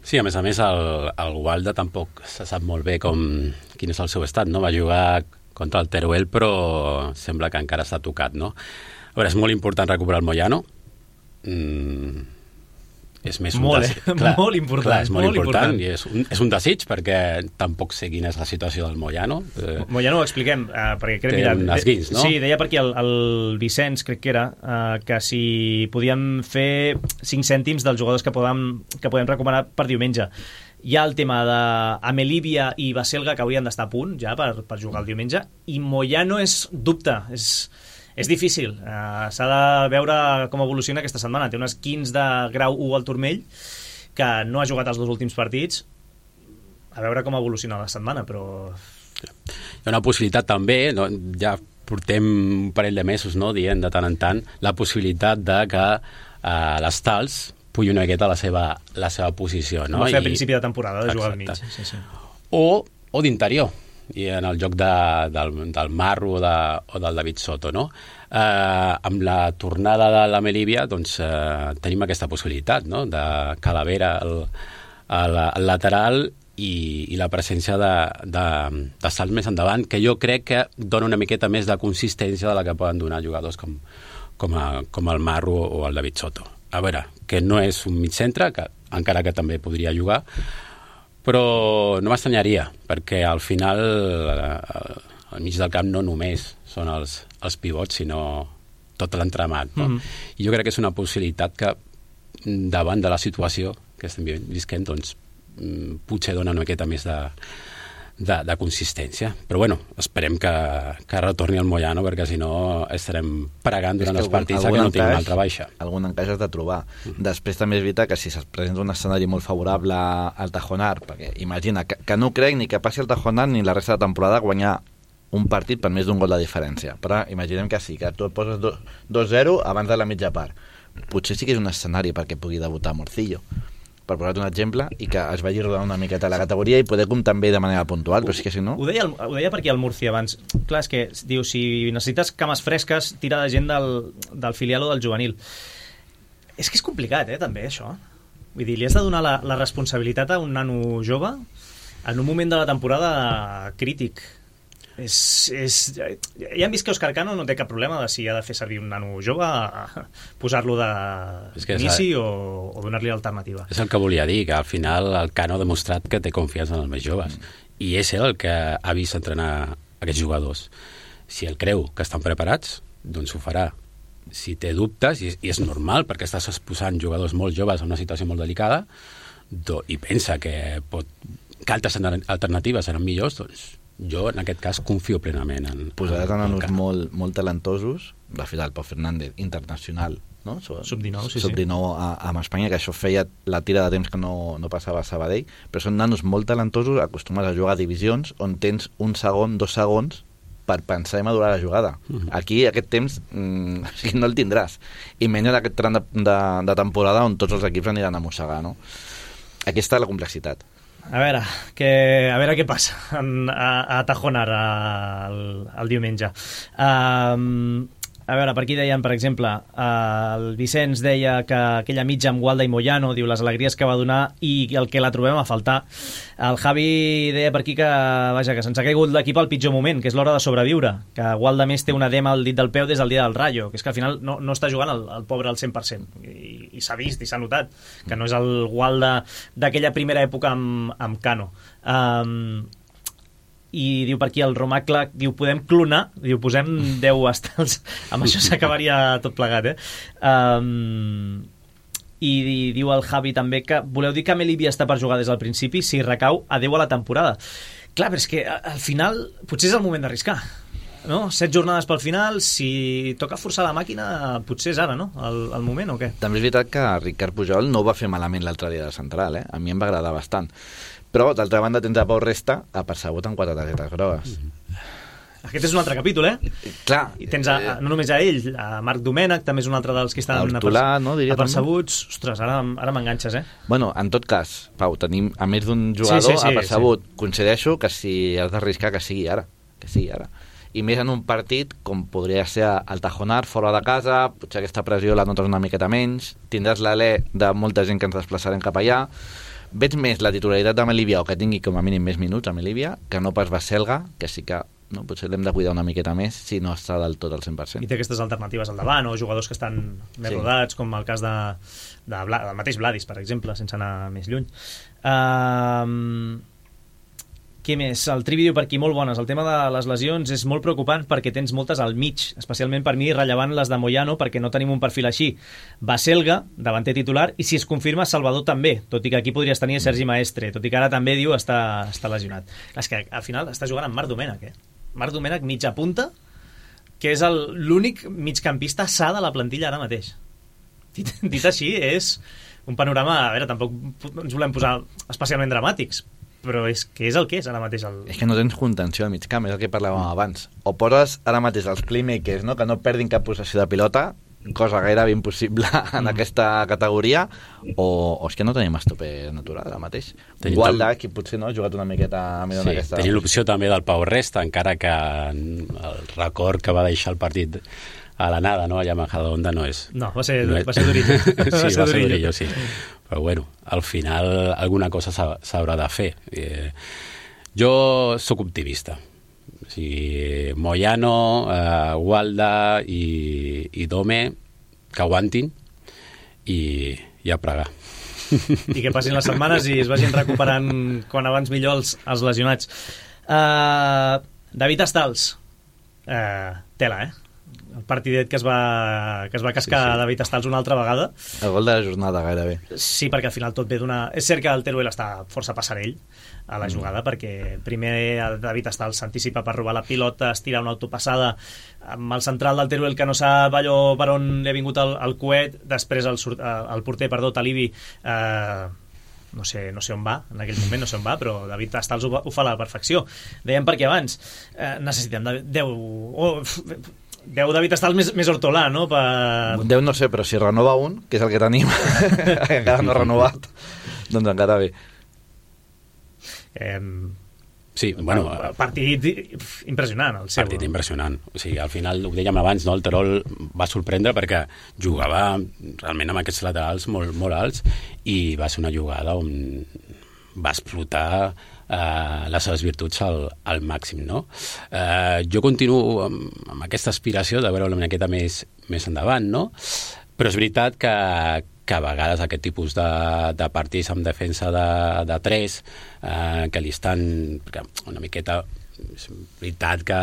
Sí, a més, el Gualda tampoc se sap molt bé quin és el seu estat, no? Va jugar contra el Teruel, però sembla que encara està tocat, no? A veure, és molt important recuperar el Moyano. És més molt important. Clar, és molt important. I és un desig, perquè tampoc sé quina és la situació del Moyano. Moyano ho expliquem, perquè crec, té un esguins, no? Sí, deia per aquí el Vicenç, crec que era, que si podíem fer 5 cèntims dels jugadors que podem recuperar per diumenge. Hi ha el tema d'Amelívia i Baselga, que haurien d'estar a punt ja per jugar el diumenge, i Moyano és dubte, és difícil. S'ha de veure com evoluciona aquesta setmana. Té unes 15 de grau 1 al turmell, que no ha jugat els 2 últims partits. A veure com evoluciona la setmana, però... Hi ha una possibilitat també, no? Ja portem un parell de mesos, no?, dient de tant en tant la possibilitat de que les Tals pugui una miqueta la seva posició, no? Va fer a principi de temporada, de jugar al mig. Sí. O d'interior, i en el joc del Marro o del David Soto, no? Amb la tornada de l'Amelívia, doncs tenim aquesta possibilitat, no?, de Calavera al lateral i la presència de salts més endavant, que jo crec que dona una miqueta més de consistència de la que poden donar jugadors com el Marro o el David Soto. A veure, que no és un mig centre, que encara que també podria jugar, però no m'estranyaria, perquè al final al mig del camp no només són els pivots, sinó tot l'entramat, no? I jo crec que és una possibilitat que davant de la situació que estem visquent, doncs potser dona una miqueta més de consistència. Però bueno, esperem que retorni el Moyano, perquè si no estarem pregant durant els partits que no tingui una altra baixa. Algun encaix has de trobar. Després també és veritat que si se'ls presenta un escenari molt favorable al Tajonar, perquè imagina que no crec ni que passi el Tajonar ni la resta de temporada guanyar un partit per més d'un gol de diferència. Però imaginem que sí, que tu et poses 2-0 abans de la mitja part. Potser sí que és un escenari perquè pugui debutar Morcillo, per posar-te un exemple, i que es vagi rodant una miqueta la categoria i poder comptar també de manera puntual, però sí que si no... Ho deia per aquí el Murcia abans. Clar, és que diu, si necessites cames fresques, tira de gent del filial o del juvenil. És que és complicat, també, això. Vull dir, li has de donar la responsabilitat a un nano jove en un moment de la temporada crític. Ja hem vist que Òscar Cano no té cap problema de si ha de fer servir un nano jove, posar-lo d'inici o donar-li alternativa. És el que volia dir, que al final el Cano ha demostrat que té confiança en els més joves, i és ell el que ha vist entrenar aquests jugadors. Si ell creu que estan preparats, doncs ho farà. Si té dubtes, i és normal, perquè estàs exposant jugadors molt joves a una situació molt delicada, i pensa que altres alternatives seran millors, doncs jo, en aquest cas, confio plenament en posaràs nanos molt talentosos. De fet, el Pau Fernández, internacional, no? Sub-19, Sub-19 amb Espanya, que això feia la tira de temps que no passava a Sabadell, però són nanos molt talentosos, acostumats a jugar a divisions on tens 1 segon, 2 segons per pensar i madurar la jugada. Aquí, aquest temps, no el tindràs. I menys en aquest tram de temporada on tots els equips aniran a mossegar, no? Aquí està la complexitat. A veure què passa a Tajonar el diumenge. A veure, per aquí deien, per exemple, el Vicenç deia que aquella mitja amb Gualda i Moyano, diu, les alegries que va donar i el que la trobem a faltar. El Javi deia per aquí que se'ns ha caigut l'equip al pitjor moment, que és l'hora de sobreviure, que Gualda més té un edema al dit del peu des del dia del Rayo, que és que al final no està jugant el pobre al 100%, i s'ha vist i s'ha notat que no és el Gualda d'aquella primera època amb Cano. I diu per aquí el Romacle, diu, podem clonar, diu, posem 10 estels, amb això s'acabaria tot plegat, i diu el Javi també que voleu dir que Amelívia està per jugar des del principi, si recau, adeu a la temporada. Clar, però és que al final potser és el moment d'arriscar, no? 7 jornades pel final, si toca forçar la màquina, potser és ara, no? El moment, o què? També és veritat que Ricard Pujol no ho va fer malament l'altre dia de central, A mi em va agradar bastant. Però, d'altra banda, tens a Pau Resta apercebut amb 4 targetes grogues. Aquest és un altre capítol, Clar. I tens no només a ell, a Marc Domènech, també és un altre dels que estan apercebuts. Ostres, ara m'enganxes, Bueno, en tot cas, Pau, tenim a més d'un jugador apercebut. Coincideixo que si has d'arriscar que sigui ara. I més en un partit com podria ser el Tajonar, fora de casa, potser aquesta pressió la notes una miqueta menys, tindràs l'alè de molta gent que ens desplaçarem cap allà. Veig més la titularitat d'Amelívia, o que tingui com a mínim més minuts Amelívia, que no pas Baselga, que sí que potser l'hem de cuidar una miqueta més si no està del tot al 100%. I té aquestes alternatives al davant, o jugadors que estan més rodats, com el cas del mateix Vladis, per exemple, sense anar més lluny. Què més? El Trivi diu per aquí, molt bones. El tema de les lesions és molt preocupant perquè tens moltes al mig, especialment per mi rellevant les de Moyano, perquè no tenim un perfil així. Baselga, davanter titular, i si es confirma, Salvador també, tot i que aquí podries tenir Sergi Maestre, tot i que ara també diu està lesionat. És que al final està jugant amb Marc Domènech, Marc Domènech mitja punta, que és l'únic migcampista sa de la plantilla ara mateix. Dit així, és un panorama... A veure, tampoc ens volem posar especialment dramàtics, però és que és el que és ara mateix. És que no tens contenció al mig camp, és el que parlàvem abans. O poses ara mateix els playmakers, no? Que no perdin cap possessió de pilota, cosa gairebé impossible en aquesta categoria, o és que no tenim estoper natural ara mateix. Gualda, que potser no ha jugat una miqueta millor en aquesta... Tenim l'opció també del Pau Resta, encara que el record que va deixar el partit a la nada, no? Allà a Majadahonda no és... No, va ser Durillo. Sí, va ser Durillo, sí. Però bueno, al final alguna cosa s'haurà de fer. Jo sóc optimista. O sigui, Moyano, Gualda i Dome, que aguantin i a pregar. I que passin les setmanes i es vagin recuperant quan abans millor els lesionats. David Estals, tela, el partidet que es va cascar David Estals una altra vegada. El gol de la jornada, gairebé. Sí, perquè al final tot ve d'una... És cert que el Teruel està força passarell a la jugada, perquè primer el David Estals s'anticipa per robar la pilota, es tira una autopassada amb el central del Teruel que no sap allò per on li ha vingut el coet, després el porter, Talibi, no sé on va, en aquell moment no sé on va, però David Estals ho fa a la perfecció. Dèiem perquè abans necessitem 10 David Estals més Hortolà, no? 10 no sé, però si renova un, que és el que tenim, encara no ha renovat, doncs encara bé. Sí, bueno... Partit impressionant, el seu. Partit impressionant. O sigui, al final, ho dèiem abans, no? El Terol va sorprendre perquè jugava realment amb aquests laterals molt alts i va ser una jugada on va explotar les seves virtuts al màxim, no? Jo continuo amb aquesta aspiració de veure una miqueta més endavant, no? Però és veritat que a vegades aquest tipus de partits amb defensa de 3 que li estan una miqueta... És veritat que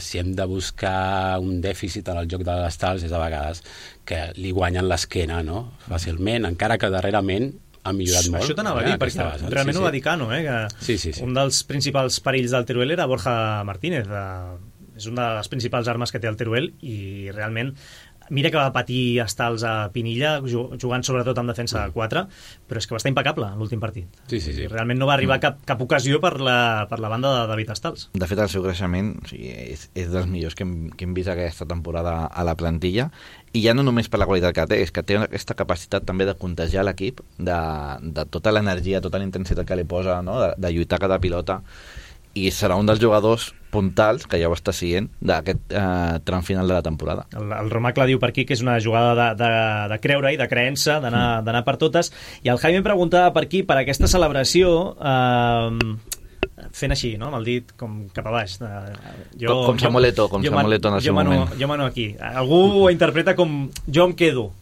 si hem de buscar un dèficit en el joc de les tals és a vegades que li guanyen l'esquena, no? Fàcilment, encara que darrerament ha millorat molt. Això t'anava a dir, perquè realment ho va dir Cano, que un dels principals perills del Teruel era Borja Martínez. És una de les principals armes que té el Teruel i realment mira que va patir Estals a Pinilla jugant sobretot amb defensa de 4, però és que va estar impecable l'últim partit. Sí. Realment no va arribar cap ocasió per la banda de David Estals. De fet, el seu creixement és dels millors que hem vist aquesta temporada a la plantilla, i ja no només per la qualitat que té, és que té aquesta capacitat també de contagiar l'equip, de tota l'energia, tota la intensitat que li posa, no? de lluitar cada pilota, i serà un dels jugadors puntals, que ja ho està siguent, d'aquest tram final de la temporada. El Romacle diu per aquí que és una jugada de creure i de creença, d'anar per totes, i el Jaime preguntava per aquí, per aquesta celebració, fent així, no? amb el dit com cap a baix. Com Samuel Eto'o en el seu moment. Jo mano aquí. Algú ho interpreta com jo em quedo.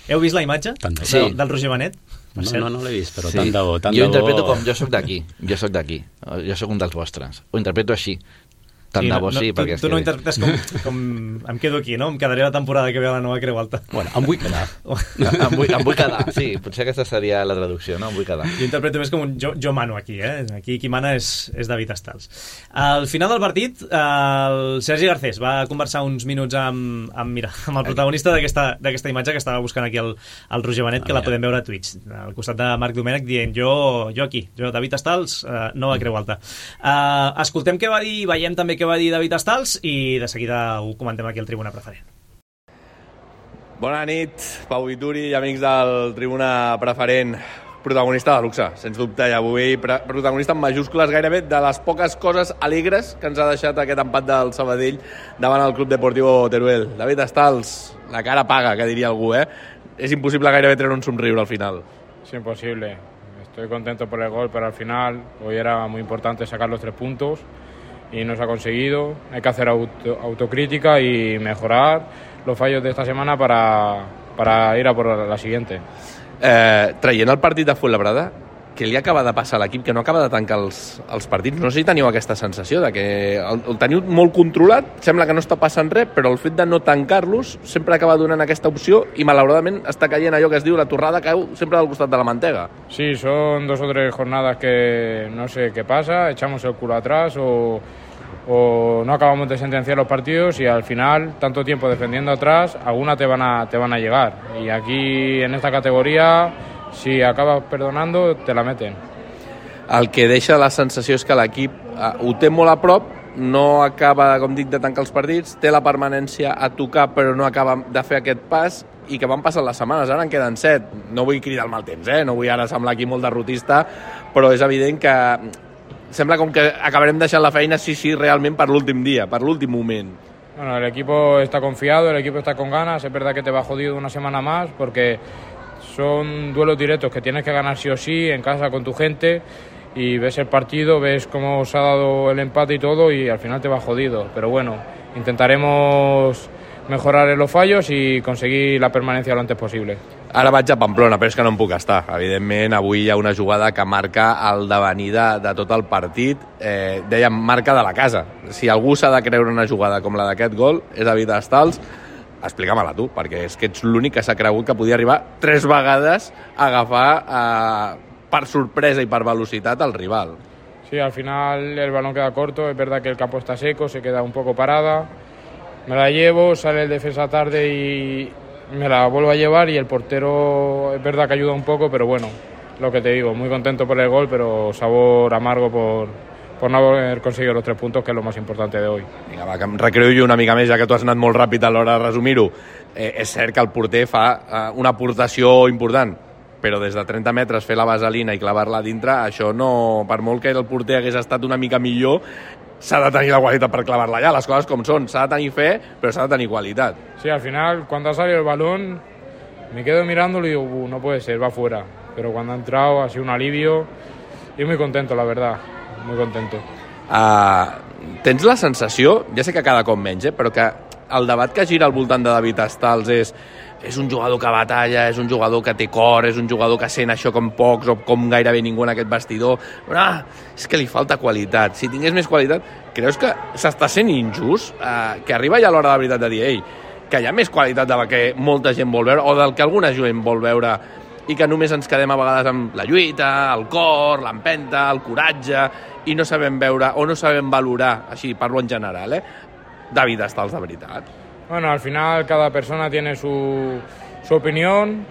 Heu vist la imatge del Roger Benet? No l'he vist, però tant de bo. Jo interpreto com jo sóc d'aquí, jo sóc un dels vostres, ho interpreto així. Tant de bo sí, perquè... Tu no interpretes com em quedo aquí, no? Em quedaré la temporada que ve a la nova Creu Alta. Bueno, em vull quedar. Em vull quedar, sí, potser aquesta seria la traducció, no? Em vull quedar. Jo interpreto més com un jo mano aquí, Aquí qui mana és David Estals. Al final del partit, el Sergi Garcés va conversar uns minuts amb el protagonista d'aquesta imatge que estava buscant aquí el Roger Benet, que la podem veure a Twitch, al costat de Marc Domènech, dient jo aquí, David Estals, nova Creu Alta. Escoltem què va dir, veiem també què va dir David Estals i de seguida ho comentem aquí al Tribuna Preferent. Bona nit, Pau Vituri i amics del Tribuna Preferent. Protagonista de luxe, sens dubte, i avui protagonista en majúscules gairebé de les poques coses alegres que ens ha deixat aquest empat del Sabadell davant el Club Deportivo Teruel. David Estals, la cara paga, que diria algú, És impossible gairebé treure un somriure al final. Es imposible. Estoy contento por el gol, pero al final hoy era muy importante sacar los 3 puntos. Y no se ha conseguido. Hay que hacer autocrítica y mejorar los fallos de esta semana para ir a por la siguiente. Traient el partit de Fuenlabrada, què li acaba de passar a l'equip, que no acaba de tancar els partits. No sé si teniu aquesta sensació de que el teniu molt controlat, sembla que no està passant res, però el fet de no tancar-los sempre acaba donant aquesta opció i malauradament està caient allò que es diu la torrada, cau sempre del costat de la mantega. Sí, son 2 o 3 jornadas que no sé qué pasa, echamos el culo atrás o no acabamos de sentenciar los partidos y al final, tanto tiempo defendiendo atrás, alguna te van a llegar. Y aquí en esta categoría, si acabas perdonando, te la meten. El que deixa la sensació és que l'equip ho té molt a prop, no acaba, com dic, de tancar els partits, té la permanència a tocar però no acaba de fer aquest pas i que van passant les setmanes, ara en queden 7. No vull cridar el mal temps, no vull ara semblar aquí molt derrotista, però és evident que sembla com que acabarem deixant la feina sí, realment per l'últim dia, per l'últim moment. Bueno, el equipo está confiado, el equipo está con ganas, es verdad que te va jodido una semana más porque son duelos directos que tienes que ganar sí o sí en casa con tu gente y ves el partido, ves cómo se ha dado el empate y todo y al final te va jodido. Pero bueno, intentaremos mejorar en los fallos i conseguir la permanència lo antes possible. Ara vaig a Pamplona, però és que no em puc estar. Evidentment, avui hi ha una jugada que marca el devenir de tot el partit. Dèiem, marca de la casa. Si algú s'ha de creure una jugada com la d'aquest gol, és David Estals. Explica-me-la tu, perquè és que ets l'únic que s'ha cregut que podia arribar 3 vegades a agafar per sorpresa i per velocitat al rival. Sí, al final el balón queda corto, es verdad que el campo está seco, se queda un poco parada. Me la llevo, sale el defensa tarde y me la vuelvo a llevar y el portero es verdad que ayuda un poco, pero bueno, lo que te digo, muy contento por el gol, pero sabor amargo por no haber conseguido los 3 puntos, que es lo más importante de hoy. Vinga, va, que em recreo jo una mica més, ja que tu has anat molt ràpid a l'hora de resumir-ho. És cert que el porter fa una aportació important, però des de 30 metres fer la vaselina i clavar-la dintre, això no, per molt que el porter hagués estat una mica millor, s'ha de tenir la qualitat per clavar-la allà, les coses com són, s'ha de tenir fe, però s'ha de tenir qualitat. Sí, al final, cuando ha salido el balón, me quedo mirándolo y digo, no puede ser, va fuera. Pero cuando ha entrado ha sido un alivio y muy contento, la verdad, muy contento. Tens la sensació, ja sé que cada cop menys, però que el debat que gira al voltant de David Estals és un jugador que batalla, és un jugador que té cor, és un jugador que sent això com pocs o com gairebé ningú en aquest vestidor. Però és que li falta qualitat. Si tingués més qualitat, creus que s'està sent injust? Que arriba ja l'hora de la veritat de dir, que hi ha més qualitat del que molta gent vol veure o del que alguna gent vol veure i que només ens quedem a vegades amb la lluita, el cor, l'empenta, el coratge i no sabem veure o no sabem valorar, així parlo en general, David Estals de veritat. Bueno, al final cada persona tiene su opinión.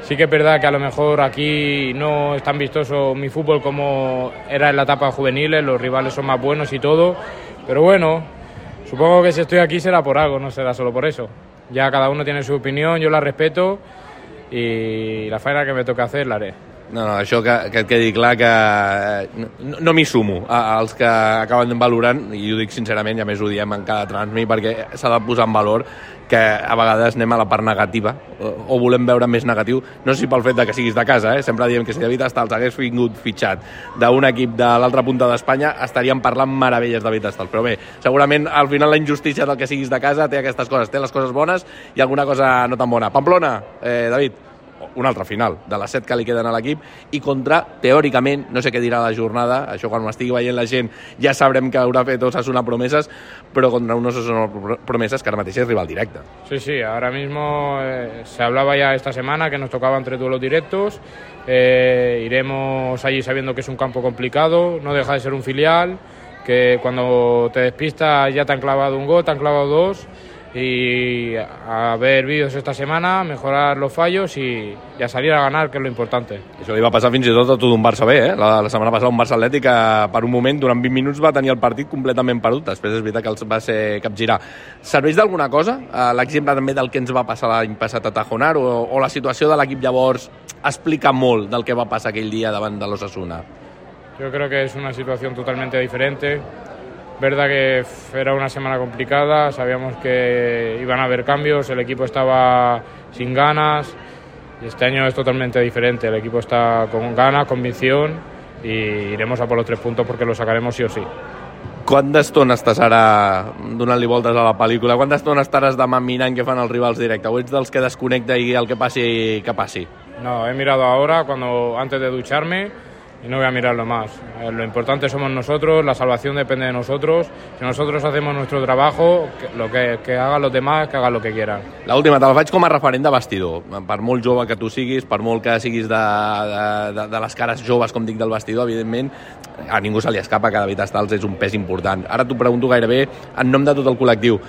Sí que es verdad que a lo mejor aquí no es tan vistoso mi fútbol como era en la etapa juveniles, los rivales son más buenos y todo, pero bueno, supongo que si estoy aquí será por algo, no será solo por eso. Ya cada uno tiene su opinión, yo la respeto y la faena que me toca hacer la haré. No, això que et quedi clar que no m'hi sumo als que acaben valorant, i ho dic sincerament, i a més ho diem en cada transmi, perquè s'ha de posar en valor que a vegades anem a la part negativa o volem veure més negatiu, no sé si pel fet de que siguis de casa, sempre diem que si David Estals hagués vingut fitxat d'un equip de l'altra punta d'Espanya estaríem parlant meravelles de David Estals, però bé, segurament al final la injustícia del que siguis de casa té aquestes coses, té les coses bones i alguna cosa no tan bona. Pamplona, David, un altre final, de les 7 que li queden a l'equip, i contra, teòricament, no sé què dirà la jornada, això quan m'estigui veient la gent ja sabrem que haurà fet Osasuna promeses, però contra un Osasuna promeses que ara mateix és rival directe. Sí, ahora mismo se hablaba ya esta semana que nos tocaban 3 duelos directos, iremos allí sabiendo que es un campo complicado, no deja de ser un filial, que cuando te despistas ya te han clavado un gol, te han clavado 2, y a ver vídeos esta semana, mejorar los fallos y a salir a ganar, que és lo importante. Això li va passar fins i tot a tu d'un Barça B, La setmana passada un Barça Atlètic que per un moment, durant 20 minuts, va tenir el partit completament perdut. Després és veritat que els va ser capgirar. Serveix d'alguna cosa? L'exemple també del que ens va passar l'any passat a Tajonar o la situació de l'equip llavors explica molt del que va passar aquell dia davant de l'Osasuna? Yo creo que es una situación totalmente diferente. Verdad que era una semana complicada, sabíamos que iban a haber cambios, el equipo estaba sin ganas y este año es totalmente diferente, el equipo está con ganas, convicción y iremos a por los 3 puntos porque los sacaremos sí o sí. Quanta estona estàs ara donant-li voltes a la pel·lícula? Quanta estona estaràs demà mirant què fan els rivals directe? O ets dels que desconnecta i el que passi, que passi? No, he mirado ahora antes de ducharme y no voy a mirarlo más. Lo importante somos nosotros, la salvación depende de nosotros. Si nosotros hacemos nuestro trabajo, que hagan los demás, que hagan lo que quieran. L'última, te'l faig com a referent de vestidor. Per molt jove que tu siguis, per molt que siguis de les cares joves, com dic, del vestidor, evidentment, a ningú se li escapa que David Stals és un pes important. Ara t'ho pregunto gairebé en nom de tot el col·lectiu.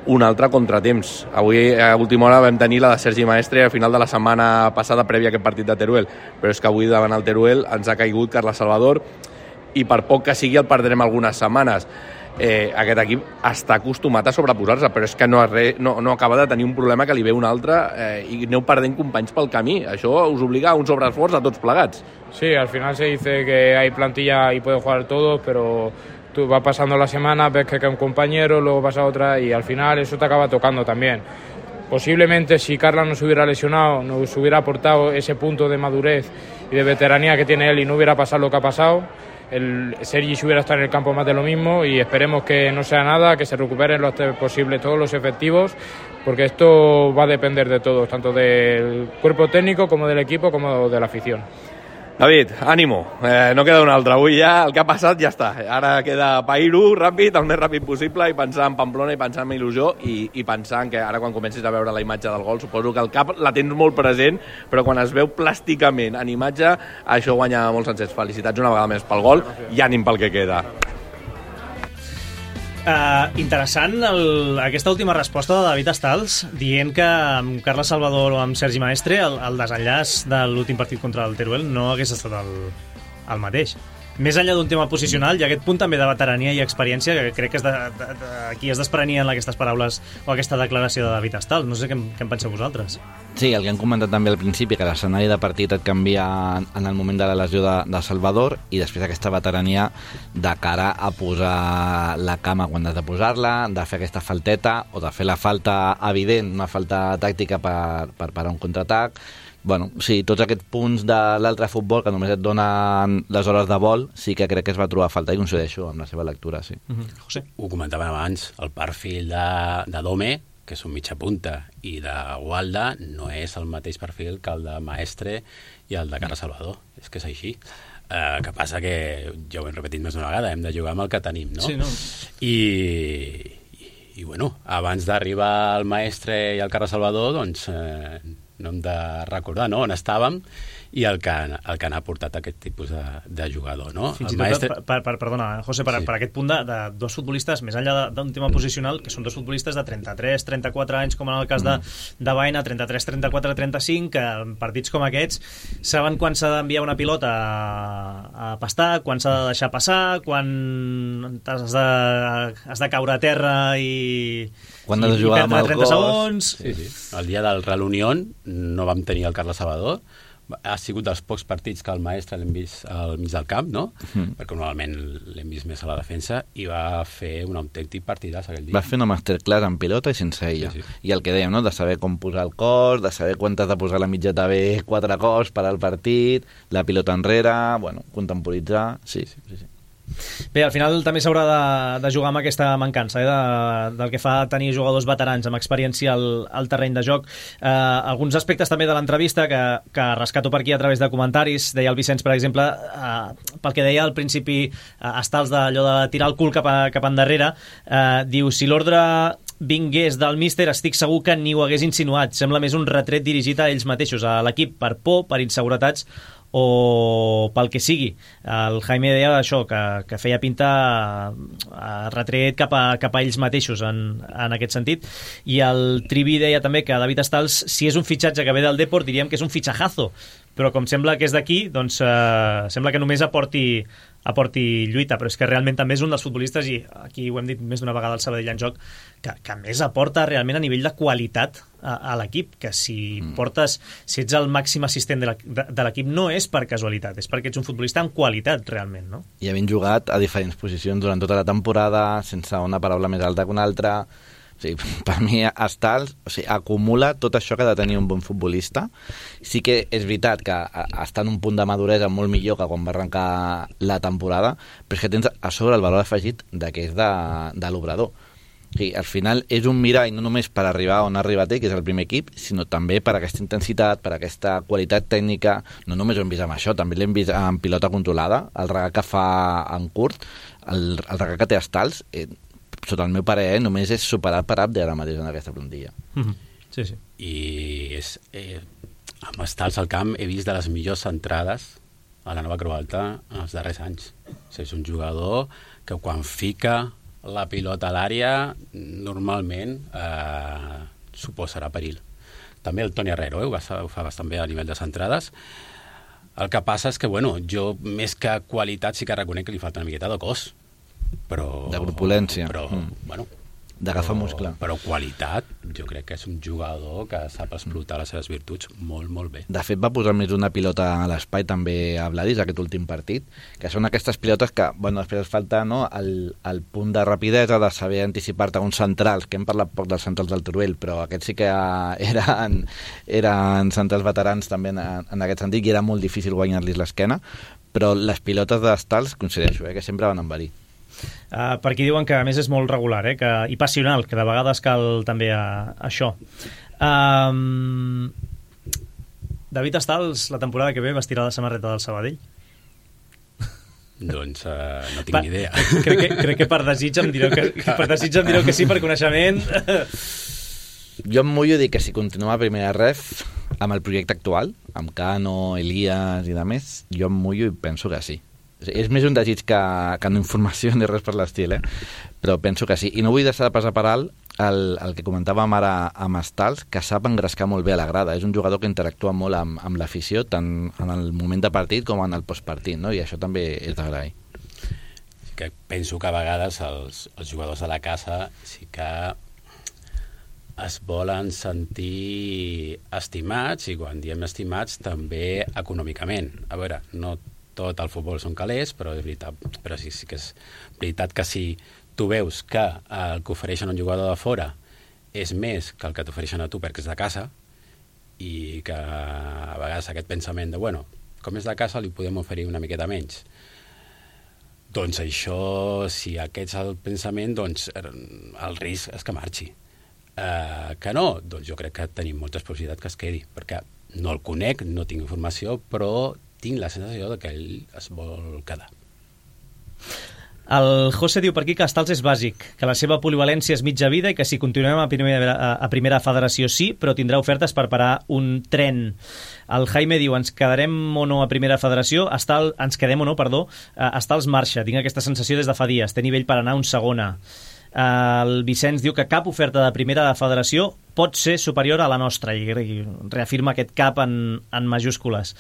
Un altre contratemps. Avui, a última hora, vam tenir la de Sergi Maestre a final de la setmana passada prèvia a aquest partit de Teruel, però és que avui davant el Teruel ens ha caigut Carles Salvador i per poc que sigui el perdrem algunes setmanes. Aquest equip està acostumat a sobreposar-se, però és que no acaba de tenir un problema que li ve un altre i aneu perdent companys pel camí. Això us obliga a un sobreesforç a tots plegats. Sí, al final se dice que hay plantilla y pueden jugar todos, pero tú vas pasando la semana, ves que cae un compañero, luego pasa otra y al final eso te acaba tocando también. Posiblemente si Carla no se hubiera lesionado, nos hubiera aportado ese punto de madurez y de veteranía que tiene él y no hubiera pasado lo que ha pasado, el Sergi se hubiera estado en el campo más de lo mismo y esperemos que no sea nada, que se recuperen lo antes posible todos los efectivos, porque esto va a depender de todos, tanto del cuerpo técnico como del equipo como de la afición. David, ànimo, no queda un altre. Avui ja el que ha passat ja està. Ara queda pair-ho ràpid, el més ràpid possible, i pensar en Pamplona i pensar en il·lusió i pensar en que ara quan comencis a veure la imatge del gol, suposo que el cap la tens molt present, però quan es veu plàsticament en imatge, això guanya molts sencers. Felicitats una vegada més pel gol i ànim pel que queda. Interessant aquesta última resposta de David Stals dient que amb Carles Salvador o amb Sergi Maestre el desenllaç de l'últim partit contra el Teruel no hagués estat el mateix. Més enllà d'un tema posicional, hi ha aquest punt també de veterania i experiència que crec que és aquí es desprenien aquestes paraules o aquesta declaració de David Stals. No sé què en penseu vosaltres. Sí, el que hem comentat també al principi, que l'escenari de partit et canvia en el moment de la lesió de Salvador i després aquesta veterania de cara a posar la cama quan has de posar-la, de fer aquesta falteta o de fer la falta evident, una falta tàctica per parar un contraatac. Bueno, sí, tots aquests punts de l'altre futbol que només et donen les hores de vol, sí que crec que es va trobar a falta i coincideixo amb la seva lectura, sí. José. Ho comentàvem abans, el perfil de Dome, que és un mitja punta, i de Walda no és el mateix perfil que el de Maestre i el de Carles Salvador. És que és així. Que passa que, ja ho hem repetit més d'una vegada, hem de jugar amb el que tenim, no? Sí, no? I bueno, abans d'arribar el Maestre i el Carles Salvador, doncs no hem de recordar, no?, on estàvem i el que n'ha portat aquest tipus de jugador, no? Fins i tot, perdona, José, per aquest punt de dos futbolistes, més enllà d'un tema posicional, que són dos futbolistes de 33, 34 anys, com en el cas de Baena, 33, 34, 35, que en partits com aquests saben quan s'ha d'enviar una pilota a pastar, quan s'ha de deixar passar, quan has de caure a terra i perdre 30 segons. Sí. El dia del Real Unión no vam tenir el Carles Salvador, ha sigut dels pocs partits que el Maestre l'hem vist al mig del camp, no? Perquè normalment l'hem vist més a la defensa, i va fer un autèntic partidàs aquell dia. Va fer una masterclass en pilota i sense ella. Sí. I el que dèiem, no?, de saber com posar el cos, de saber quan t'has de posar la mitjeta bé 4 cops per al partit, la pilota enrere, bueno, contemporitzar, sí. Bé, al final també s'haurà de jugar amb aquesta mancança del que fa tenir jugadors veterans amb experiència al terreny de joc. Alguns aspectes també de l'entrevista que rescato per aquí a través de comentaris. Deia el Vicenç, per exemple, pel que deia al principi Stals d'allò de tirar el cul cap endarrere, diu, si l'ordre vingués del míster, estic segur que ni ho hagués insinuat. Sembla més un retret dirigit a ells mateixos, a l'equip, per por, per inseguretats o pel que sigui. El Jaime deia això, que feia pinta retret cap a ells mateixos en aquest sentit, i el Trivi deia també que David Stals, si és un fitxatge que ve del Depor, diríem que és un fitxajazo, però com sembla que és d'aquí, doncs sembla que només aporti lluita, però és que realment també és un dels futbolistes, i aquí ho hem dit més d'una vegada al Sabadell en Joc, que més aporta realment a nivell de qualitat a l'equip, que si ets el màxim assistent de l'equip no és per casualitat, és perquè ets un futbolista amb qualitat realment, no? I havent jugat a diferents posicions durant tota la temporada, sense una paraula més alta que una altra. O sigui, per mi Stals acumula tot això que ha de tenir un bon futbolista. Sí que és veritat que està en un punt de maduresa molt millor que quan va arrencar la temporada, però és que tens a sobre el valor afegit que és de l'obrador. Sí, al final és un mirall no només per arribar on ha arribat ell, que és el primer equip, sinó també per aquesta intensitat, per aquesta qualitat tècnica. No només ho hem vist amb això, també l'hem vist amb pilota controlada, el regal que fa en curt, el regal que té Stals, sota el meu parer, només és superat per Abde ara mateix en aquesta plantilla. Sí, sí. I amb Stals al camp he vist de les millors entrades a la Nova Creu Alta en els darrers anys. És un jugador que quan fica la pilota a l'àrea normalment suposarà perill. També el Toni Herrero ho fa bastant bé a nivell de centrades. El que passa és que, jo més que qualitat sí que reconec que li falta una miqueta de cos. Però, de corpulència. Però, d'agafar muscle. Però qualitat, jo crec que és un jugador que sap explotar les seves virtuts molt, molt bé. De fet, va posar més d'una pilota a l'espai també a Vladis, aquest últim partit, que són aquestes pilotes que, després falta el punt de rapidesa, de saber anticipar-te a uns centrals, que hem parlat poc dels centrals del Teruel, però aquests sí que eren centrals veterans també en aquest sentit, i era molt difícil guanyar-los l'esquena, però les pilotes d'Stals, coincideixo, que sempre van en verí. Per aquí diuen que a més és molt regular i passional, que de vegades cal també això. David Stals la temporada que ve vestirà la samarreta del Sabadell? Doncs no tinc ni idea. Crec que per desig em direu que sí, per coneixement. Jo em mullo a dir que si continua a primera ref amb el projecte actual, amb Cano, Elias i de més, jo em mullo i penso que sí. És més un desig que no informació ni res per l'estil, però penso que sí. I no vull deixar de passar per alt el que comentàvem ara amb Stals, que sap engrescar molt bé a la grada. És un jugador que interactua molt amb l'afició, tant en el moment de partit com en el postpartit, no? I això també és d'agrair. Que penso que a vegades els jugadors de la casa sí que es volen sentir estimats, i quan diem estimats també econòmicament. A veure, no tot el futbol són calés, però és veritat, però sí que és veritat que si tu veus que el que ofereixen un jugador de fora és més que el que t'ofereixen a tu perquè és de casa, i que a vegades aquest pensament de, com és de casa li podem oferir una miqueta menys. Doncs això, si aquest és el pensament, doncs el risc és que marxi. Que no? Doncs jo crec que tenim moltes possibilitats que es quedi, perquè no el conec, no tinc informació, però tinc la sensació de que ell es vol quedar. El José diu per aquí que Stals és bàsic, que la seva polivalència és mitja vida i que si continuem a primera federació sí, però tindrà ofertes per parar un tren. El Jaime diu, ens quedem o no a primera federació? Ens quedem o no, perdó. Stals marxa, tinc aquesta sensació des de fa dies, té nivell per anar a un segona. El Vicenç diu que cap oferta de primera federació pot ser superior a la nostra, i reafirma aquest cap en majúscules.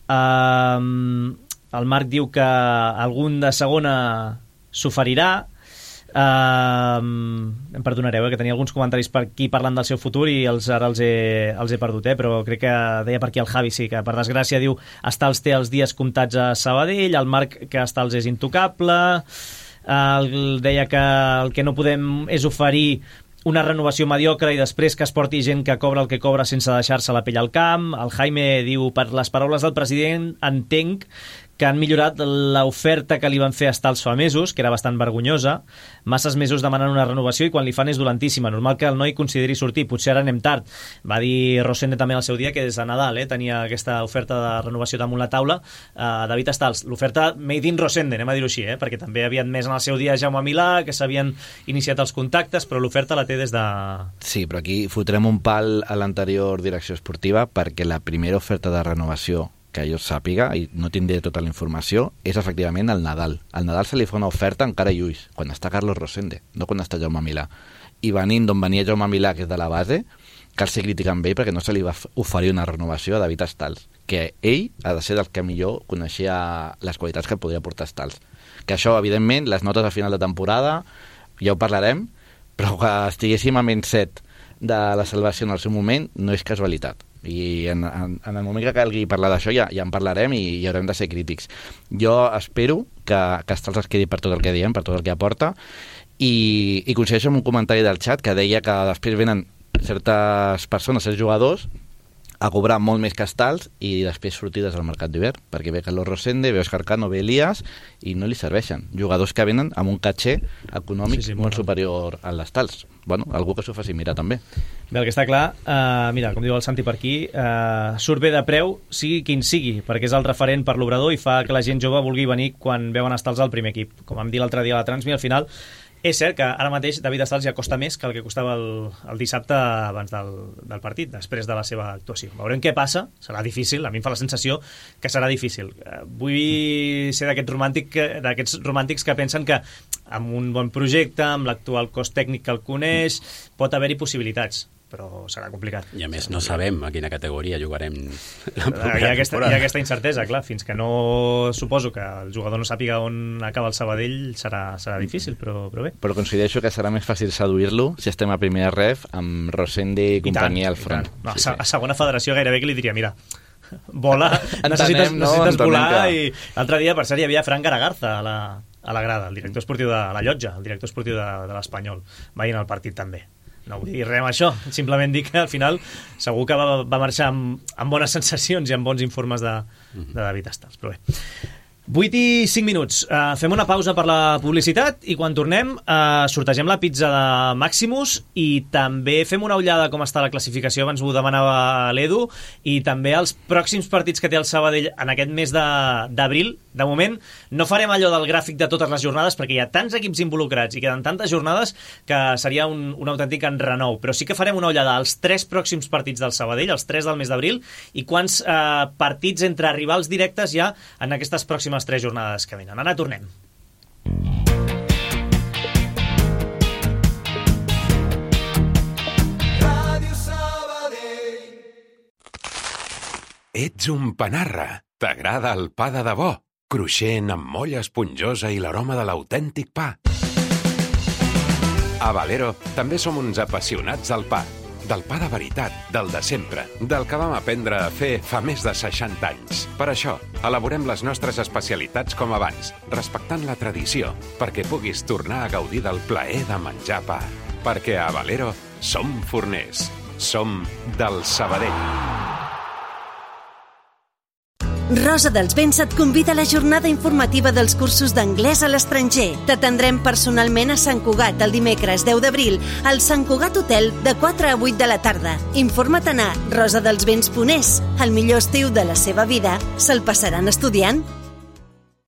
El Marc diu que algun de segona s'oferirà. Em perdonareu, que tenia alguns comentaris per aquí parlant del seu futur i ara els he perdut, però crec que deia per aquí el Javi, sí, que per desgràcia diu Stals té els dies comptats a Sabadell, el Marc que Stals és intocable, deia que el que no podem és oferir una renovació mediocre i després que es porti gent que cobra el que cobra sense deixar-se la pell al camp. El Jaime diu, per les paraules del president entenc que han millorat l'oferta que li van fer a Stals fa mesos, que era bastant vergonyosa, masses mesos demanant una renovació i quan li fan és dolentíssima. Normal que el noi consideri sortir, potser ara anem tard. Va dir Rosende també al seu dia que des de Nadal tenia aquesta oferta de renovació damunt la taula. David Stals, l'oferta made in Rosende, anem a dir-ho així, perquè també havien més en el seu dia Jaume Milà, que s'havien iniciat els contactes, però l'oferta la té des de... Sí, però aquí fotrem un pal a l'anterior direcció esportiva perquè la primera oferta de renovació que jo sàpiga, i no tindré tota la informació, és efectivament el Nadal. Al Nadal se li fa una oferta encara lluís, quan està Carlos Rosende, no quan està Jaume Milà. I venint d'on venia Jaume Milà, que és de la base, cal ser crític amb ell perquè no se li va oferir una renovació a David Stals, que ell ha de ser del que millor coneixia les qualitats que podria portar Stals. Que això, evidentment, les notes a final de temporada, ja ho parlarem, però que estiguéssim a menys 7 de la salvació en el seu moment no és casualitat. I en el moment que calgui parlar d'això ja en parlarem i haurem de ser crítics. Jo espero que Stals es quedi per tot el que diem, per tot el que aporta, i coincideixo amb un comentari del xat que deia que després venen certes persones, certs jugadors, a cobrar molt més que Stals i després sortides al mercat d'hivern, perquè ve Carlos Rosende, ve Òscar Cano, ve Elias i no li serveixen. Jugadors que venen amb un caché econòmic molt superior al d'Stals. Bueno, algú que s'ho faci mirar també. Bé, el que està clar, mira, com diu el Santi per aquí, surt bé de preu, sigui quin sigui, perquè és el referent per l'obrador i fa que la gent jove vulgui venir quan veuen Stals al primer equip. Com vam dir l'altre dia a la Transmi, al final és cert que ara mateix David Stals ja costa més que el que costava el dissabte abans del partit, després de la seva actuació. Veurem què passa, serà difícil, a mi em fa la sensació que serà difícil. Vull ser d'aquests romàntics que pensen que amb un bon projecte, amb l'actual cos tècnic que el coneix, pot haver-hi possibilitats, però serà complicat. I a més no sabem a quina categoria jugarem la propera temporada. Hi ha aquesta incertesa, clar, fins que no suposo que el jugador no sàpiga on acaba el Sabadell serà difícil, però bé. Però considero que serà més fàcil seduir-lo si estem a primera ref amb Rosende i companyia al front. No, a segona federació gairebé que li diria, mira, vola, necessites volar, i l'altre dia, per cert, hi havia Fran Garagarza a la grada, el director esportiu de la Llotja, el director esportiu de l'Espanyol, veient el partit també. No vull dir res amb això, simplement dir que al final segur que va marxar amb bones sensacions i amb bons informes de David Stals, però bé. 8 i 5 minuts. Fem una pausa per la publicitat i quan tornem sortegem la pizza de Maximus i també fem una ullada com està la classificació, abans ho demanava l'Edu, i també els pròxims partits que té el Sabadell en aquest mes d'abril. De moment no farem allò del gràfic de totes les jornades perquè hi ha tants equips involucrats i queden tantes jornades que seria un autèntic enrenou, però sí que farem una ullada als 3 pròxims partits del Sabadell, els 3 del mes d'abril, i quants partits entre rivals directes hi ha en aquestes pròximes 3 jornades que venen. Ara tornem. Ets un panarra. T'agrada el pa de debò, cruixent amb molla esponjosa i l'aroma de l'autèntic pa. A Valero també som uns apassionats del pa de veritat, del de sempre, del que vam aprendre a fer fa més de 60 anys. Per això, elaborem les nostres especialitats com abans, respectant la tradició, perquè puguis tornar a gaudir del plaer de menjar pa. Perquè a Valero som forners, som del Sabadell. Rosa dels Vents et convida a la jornada informativa dels cursos d'anglès a l'estranger. T'atendrem personalment a Sant Cugat el dimecres 10 d'abril al Sant Cugat Hotel de 4 a 8 de la tarda. Informa't a rosadelsvents.es. El millor estiu de la seva vida se'l passaran estudiant.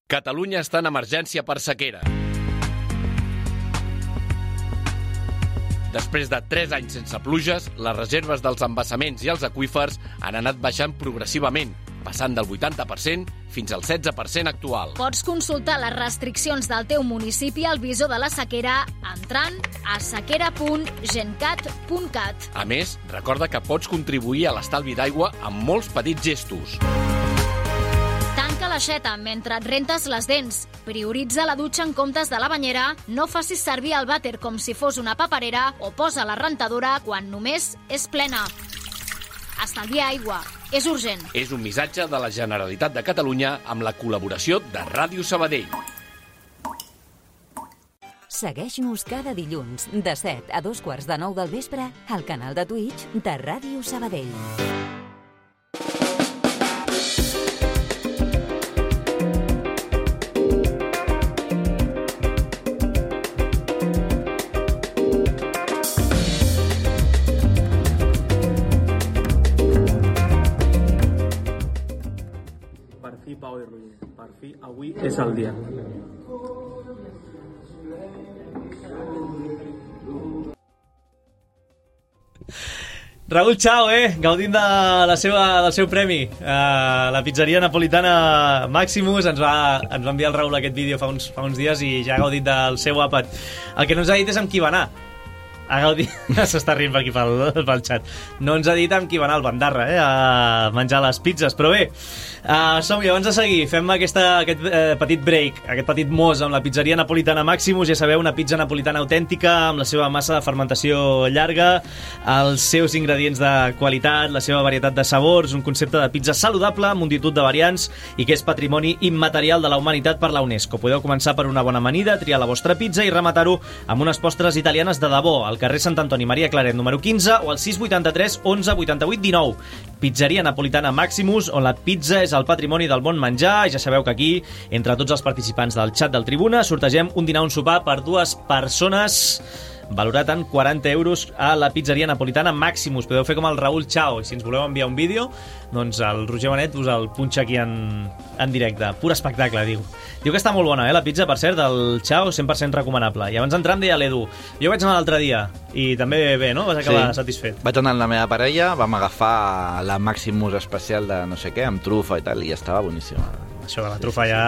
Catalunya està en emergència per sequera. Després de 3 anys sense pluges, les reserves dels embassaments i els aqüífers han anat baixant progressivament, passant del 80% fins al 16% actual. Pots consultar les restriccions del teu municipi al visor de la sequera entrant a sequera.gencat.cat. A més, recorda que pots contribuir a l'estalvi d'aigua amb molts petits gestos. Tanca l'aixeta mentre et rentes les dents. Prioritza la dutxa en comptes de la banyera. No facis servir el vàter com si fos una paperera o posa la rentadora quan només és plena. Estalvia aigua. És urgent. És un missatge de la Generalitat de Catalunya amb la col·laboració de Ràdio Sabadell. Segueix-nos cada dilluns de 7 a 8:45 del vespre al canal de Twitch de Ràdio Sabadell. Pau i Roger. Per fi, avui és el dia. Raül Chao, gaudint del seu premi. La pizzeria napolitana Maximus ens va enviar el Raül aquest vídeo fa uns dies i ja ha gaudit del seu àpat. El que no ens ha dit és amb qui va anar. S'està rient per aquí pel xat. No ens ha dit amb qui va anar al Bandarra a menjar les pizzas, però bé, som-hi, abans de seguir fem aquest petit break, aquest petit mos amb la pizzeria napolitana Maximus. Ja sabeu, una pizza napolitana autèntica amb la seva massa de fermentació llarga, els seus ingredients de qualitat, la seva varietat de sabors, un concepte de pizza saludable, multitud de variants i que és patrimoni immaterial de la humanitat per la UNESCO. Podeu començar per una bona amanida, triar la vostra pizza i rematar-ho amb unes postres italianes de debò al carrer Sant Antoni Maria Claret número 15 o al 683 11 88 19. Pizzeria Napolitana Maximus, on la pizza és el patrimoni del bon menjar, i ja sabeu que aquí, entre tots els participants del xat del Tribuna, sortegem un dinar o un sopar per 2 persones, valorat en 40 euros a la Pizzeria Napolitana Maximus. Podeu fer com el Raúl Chao, i si ens voleu enviar un vídeo, doncs el Roger Benet us el punxa aquí en directe. Pur espectacle, diu. Diu que està molt bona, la pizza, per cert, del Chao, 100% recomanable. I abans d'entrar em deia l'Edu, jo vaig anar l'altre dia, i també bé, no? Vas acabar satisfet. Vaig anar amb la meva parella, vam agafar la Maximus especial de no sé què, amb trufa i tal, i estava boníssima. Això de la trufa ja...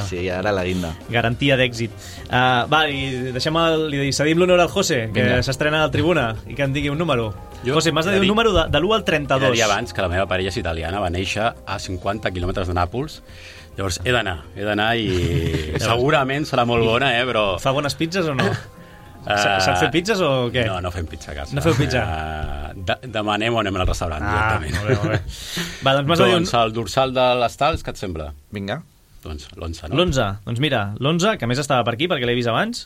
Sí, ja era la guinda. Garantia d'èxit. Va, i deixem li cedim l'honor al José, que s'estrena al Tribuna, i que em digui un número. José, m'has de dir un número de l'1 al 32. Ja dia abans que la meva parella és italiana, va néixer a 50 quilòmetres de Nàpols. Llavors he d'anar i segurament serà molt bona, però... Fa bones pizzas o no? S'han fet pizzas o què? No fem pizza a casa. No feu pizza? Demanem o anem al restaurant directament. Molt bé. Va, doncs m'has de dir un... el dorsal de les tals, què et sembla? Vinga. Doncs l'11, no? L'11, doncs mira, l'11, que a més estava per aquí perquè l'he vist abans,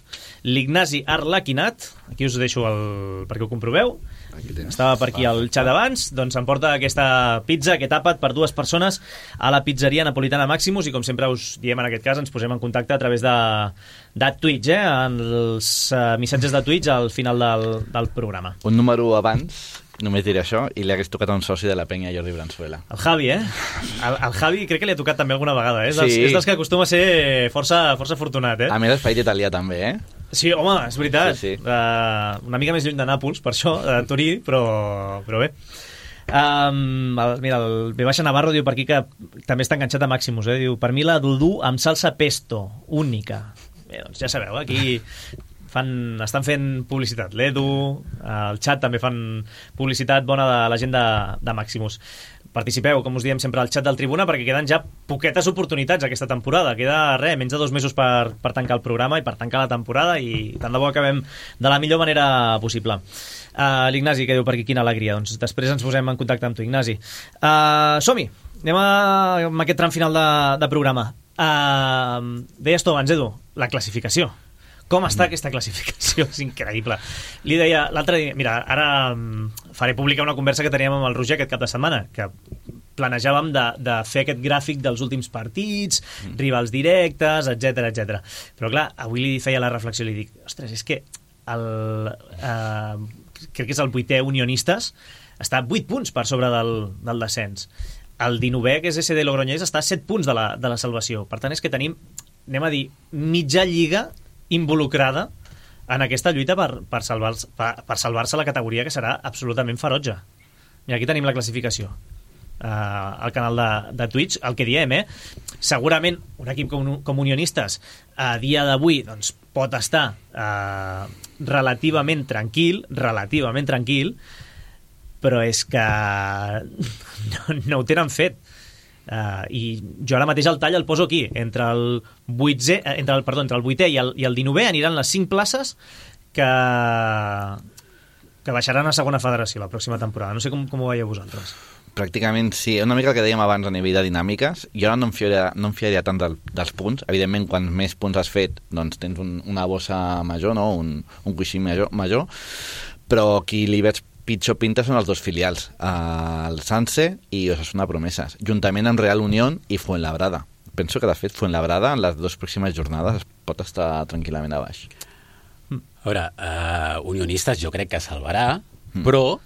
l'Ignasi Arlaquinat, aquí us deixo perquè ho comproveu, estava per aquí al xat abans, doncs em porta aquesta pizza, aquest àpat per 2 persones a la Pizzeria Napolitana Maximus, i com sempre us diem en aquest cas, ens posem en contacte a través de Twitch, en els missatges de Twitch al final del programa. Un número abans, només diré això, i li hagués tocat a un soci de la penya, Jordi Branzuela. El Javi, el Javi crec que li ha tocat també alguna vegada, Sí. És dels que acostuma a ser força afortunat, A més, l'espai italià també, Sí, home, és veritat. Sí. Una mica més lluny de Nàpols, per això, de Turí, però bé. Mira, el V. Navarro diu per aquí que també està enganxat a Maximus, diu, per mi la dudú amb salsa pesto, única. Bé, doncs ja sabeu, aquí estan fent publicitat. L'Edu, el xat també fan publicitat bona de la gent de Maximus. Participeu, com us diem sempre, al xat del Tribuna, perquè queden ja poquetes oportunitats aquesta temporada. Queda menys de 2 mesos per tancar el programa i per tancar la temporada, i tant de bo acabem de la millor manera possible. L'Ignasi, que diu per aquí, quina alegria. Doncs després ens posem en contacte amb tu, Ignasi. Som-hi! Anem amb aquest tram final de programa. Deies tu abans, Edu, la classificació. Com està aquesta classificació? És increïble. Li deia l'altre dia... Mira, ara faré pública una conversa que teníem amb el Roger aquest cap de setmana, que planejàvem de fer aquest gràfic dels últims partits, rivals directes, etc. Però clar, avui li feia la reflexió i li dic, ostres, és que crec que és el 8è Unionistes, està 8 punts per sobre del descens. El 19è, que és SD Logroñés, està a 7 punts de la salvació. Per tant, és que tenim, anem a dir, mitja lliga involucrada en aquesta lluita per salvar-se la categoria, que serà absolutament ferotge. Mira, aquí tenim la classificació al canal de Twitch. El que diem, segurament un equip com Unionistes a dia d'avui doncs, pot estar relativament tranquil, però és que no ho tenen fet. I jo ara mateix el tall el poso aquí entre el 8è i el 19è aniran les 5 places que baixaran a segona federació la pròxima temporada. No sé com ho veieu vosaltres. Pràcticament sí, una mica el que dèiem abans a nivell de dinàmiques. Jo no em fiaria tant dels punts. Evidentment, quan més punts has fet, doncs tens una bossa major, no? un coixí major, però qui li veig pitjor pinta són els 2 filials, el Sanse i Osasuna Promeses, juntament amb Real Unión i Fuenlabrada. Penso que, de fet, Fuenlabrada en les 2 pròximes jornades pot estar tranquil·lament a baix. A veure, Unionistes jo crec que salvarà, però...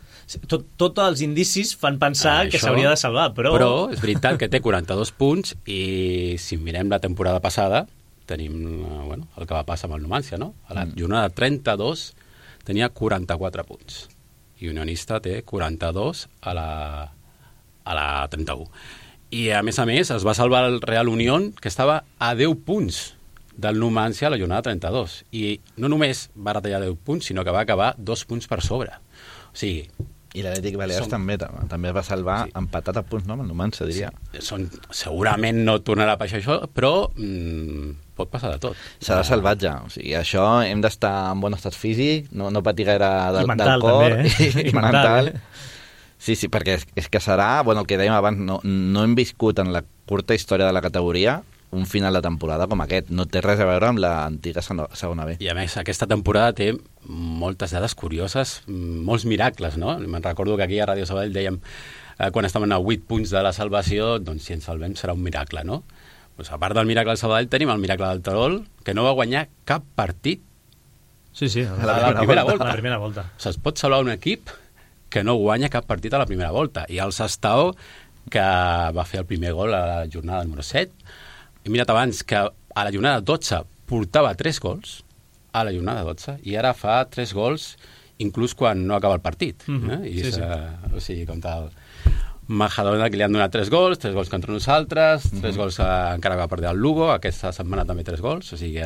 Tots els indicis fan pensar que s'hauria de salvar, però... Però és veritat que té 42 punts i si mirem la temporada passada tenim el que va passar amb el Numancia, no? A la jornada 32 tenia 44 punts. I Unionista té 42 a la 31. I a més es va salvar el Real Unión, que estava a 10 punts del Numancia a la jornada 32. I no només va retallar 10 punts, sinó que va acabar 2 punts per sobre. O sigui... I l'Atlètic Balears també es va salvar empatat a punts, no? Amb el Numancia, diria. Segurament no tornarà a passar això, però pot passar de tot. Serà salvatge. O sigui, això hem d'estar en bon estat físic, no patir gaire del cor. I mental. Sí, perquè és que serà, el que dèiem abans, no hem viscut en la curta història de la categoria un final de temporada com aquest. No té res a veure amb l'antiga segona B. I a més, aquesta temporada té moltes dades curioses, molts miracles, no? Me'n recordo que aquí a Ràdio Sabadell dèiem quan estaven a 8 punts de la salvació, doncs si ens salvem serà un miracle, no? Pues, a part del miracle del Sabadell tenim el miracle del Terol, que no va guanyar cap partit a la primera volta. A la primera volta. O sigui, es pot salvar un equip que no guanya cap partit a la primera volta. I el Sestao, que va fer el primer gol a la jornada número 7. He mirat abans que a la jornada 12 portava 3 gols, a la jornada 12, i ara fa 3 gols inclús quan no acaba el partit. I o sigui, contra el Majadahonda, que li han donat 3 gols contra nosaltres, 3 gols encara va perdre el Lugo, aquesta setmana també 3 gols, o sigui,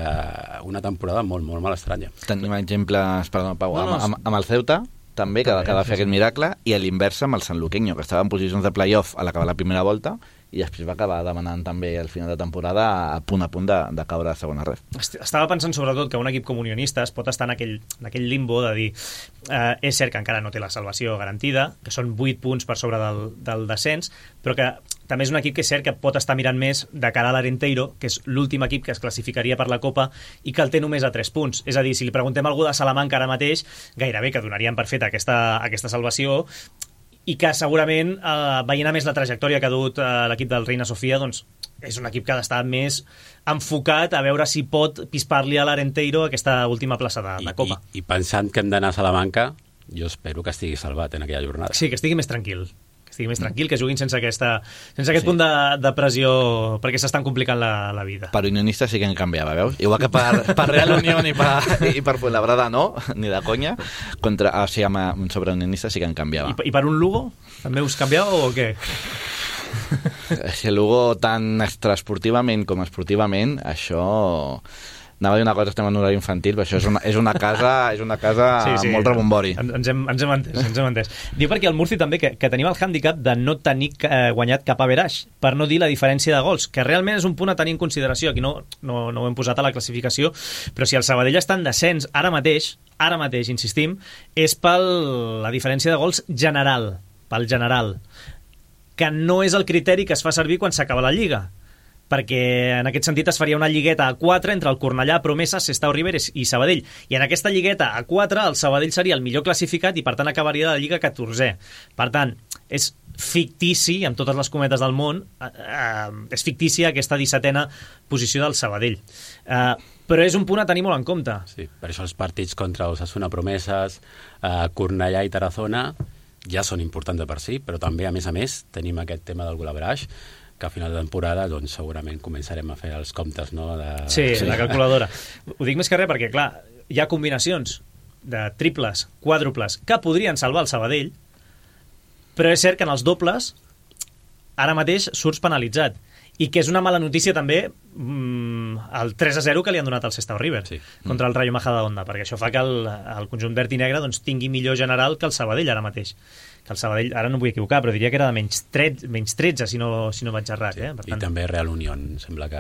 una temporada molt, molt, molt estranya. Tenim exemples, perdó, Pau, amb el Ceuta, també, que va fer aquest miracle, i a l'inversa amb el Sanluqueño, que estava en posicions de play-off a l'acabar la primera volta, i després va acabar demanant també al final de temporada a punt de caure a segona ref. Estava pensant sobretot que un equip com Unionistes pot estar en aquell limbo de dir és cert que encara no té la salvació garantida, que són 8 punts per sobre del descens, però que també és un equip que és cert que pot estar mirant més de cara a l'Arenteiro, que és l'últim equip que es classificaria per la Copa i que el té només a 3 punts. És a dir, si li preguntem a algú de Salamanca ara mateix, gairebé que donarien per feta aquesta salvació, i que segurament, veient a més la trajectòria que ha dut l'equip del Reina Sofia, doncs és un equip que ha d'estar més enfocat a veure si pot pispar-li a l'Arenteiro aquesta última plaça de Copa. I pensant que hem d'anar a Salamanca, jo espero que estigui salvat en aquella jornada. Sí, que estigui més tranquil. Que juguin sense aquest punt de pressió, perquè s'estan complicant la vida. Per Unionistes sí que en canviava, veus? Igual que per Real Unión i per Fuenlabrada no, ni de conya, sobre Unionistes sí que en canviava. I per un Lugo? També us canviava o què? Si el Lugo tant extraesportivament com esportivament, això... Anava a dir una cosa, estem en horari infantil, però això és una casa amb molt rebombori. Ens hem entès. Diu perquè el Murci també que tenim el hàndicap de no tenir guanyat cap average, per no dir la diferència de gols, que realment és un punt a tenir en consideració. Aquí no ho hem posat a la classificació, però si el Sabadell està en descens ara mateix, insistim, és per la diferència de gols general, que no és el criteri que es fa servir quan s'acaba la Lliga, perquè en aquest sentit es faria una lligueta a 4 entre el Cornellà, Promesas, Sestao Riberes i Sabadell, i en aquesta lligueta a 4 el Sabadell seria el millor classificat i per tant acabaria la Lliga 14è. Per tant, és fictici, amb totes les cometes del món, és fictícia aquesta 17a posició del Sabadell. Però és un punt a tenir molt en compte. Sí, per això els partits contra Osasuna, Promesas, Cornellà i Tarazona ja són importants de per si, però també, a més, tenim aquest tema del goal average, que a final de temporada doncs, segurament començarem a fer els comptes, no? Sí, la calculadora. Ho dic més que res perquè, clar, hi ha combinacions de triples, quàdruples, que podrien salvar el Sabadell, però és cert que en els dobles ara mateix surts penalitzat. I que és una mala notícia també el 3-0 que li han donat al Sestao River contra el Rayo Majadahonda, perquè això fa que el conjunt verd i negre doncs, tingui millor general que el Sabadell ara mateix. Que el Sabadell, ara no em vull equivocar, però diria que era de menys 13, si no vaig errat. Per tant... I també Real Unión, sembla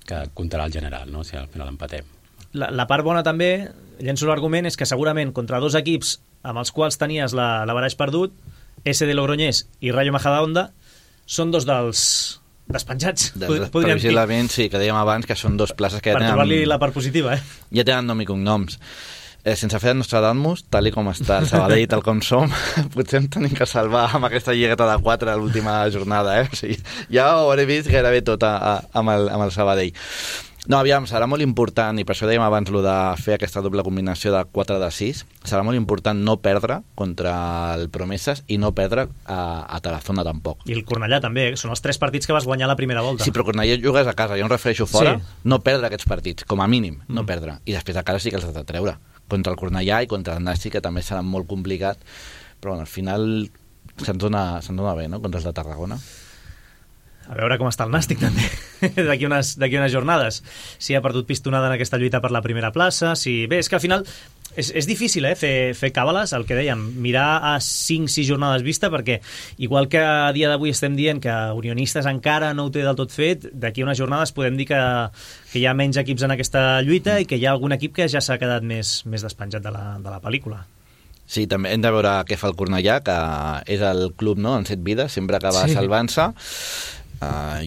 que comptarà el general, no? Si al final empatem. La part bona també, llenço l'argument, és que segurament contra 2 equips amb els quals tenies l'averaix perdut, SD Logroñés i Rayo Majadahonda, són 2 dels despenjats. Previsiblement, sí, que dèiem abans que són 2 places que ja tenen... Per trobar-li la part positiva, Ja tenen nom i cognoms. Sense fer el Nostradamus, tal com està el Sabadell, tal com som, potser em tenim que salvar amb aquesta lligueta de 4 a l'última jornada, O sigui, ja ho hauré vist gairebé tot amb el Sabadell. No, aviam, serà molt important, i per això dèiem abans de fer aquesta doble combinació de 4 de 6, serà molt important no perdre contra el Promesas i no perdre a Tarazona tampoc. I el Cornellà també, són els 3 partits que vas guanyar la primera volta. Sí, però Cornellà jugues a casa, jo em refereixo fora, no perdre aquests partits, com a mínim, no perdre. I després a casa sí que els has de treure. Contra el Cornellà i contra el Nàstic, que també serà molt complicat, però bueno, al final se'ns dona bé, no?, contra els de Tarragona. A veure com està el Nàstic també d'aquí unes jornades, si ha perdut pistonada en aquesta lluita per la primera plaça, bé, és que al final és difícil fer càbales, el que dèiem, mirar a 5-6 jornades vista, perquè igual que a dia d'avui estem dient que Unionistes encara no ho té del tot fet, d'aquí unes jornades podem dir que hi ha menys equips en aquesta lluita i que hi ha algun equip que ja s'ha quedat més despenjat de la pel·lícula. Sí, també hem de veure què fa el Cornellà, que és el club, no?, en 7 vides, sempre acaba salvant-se.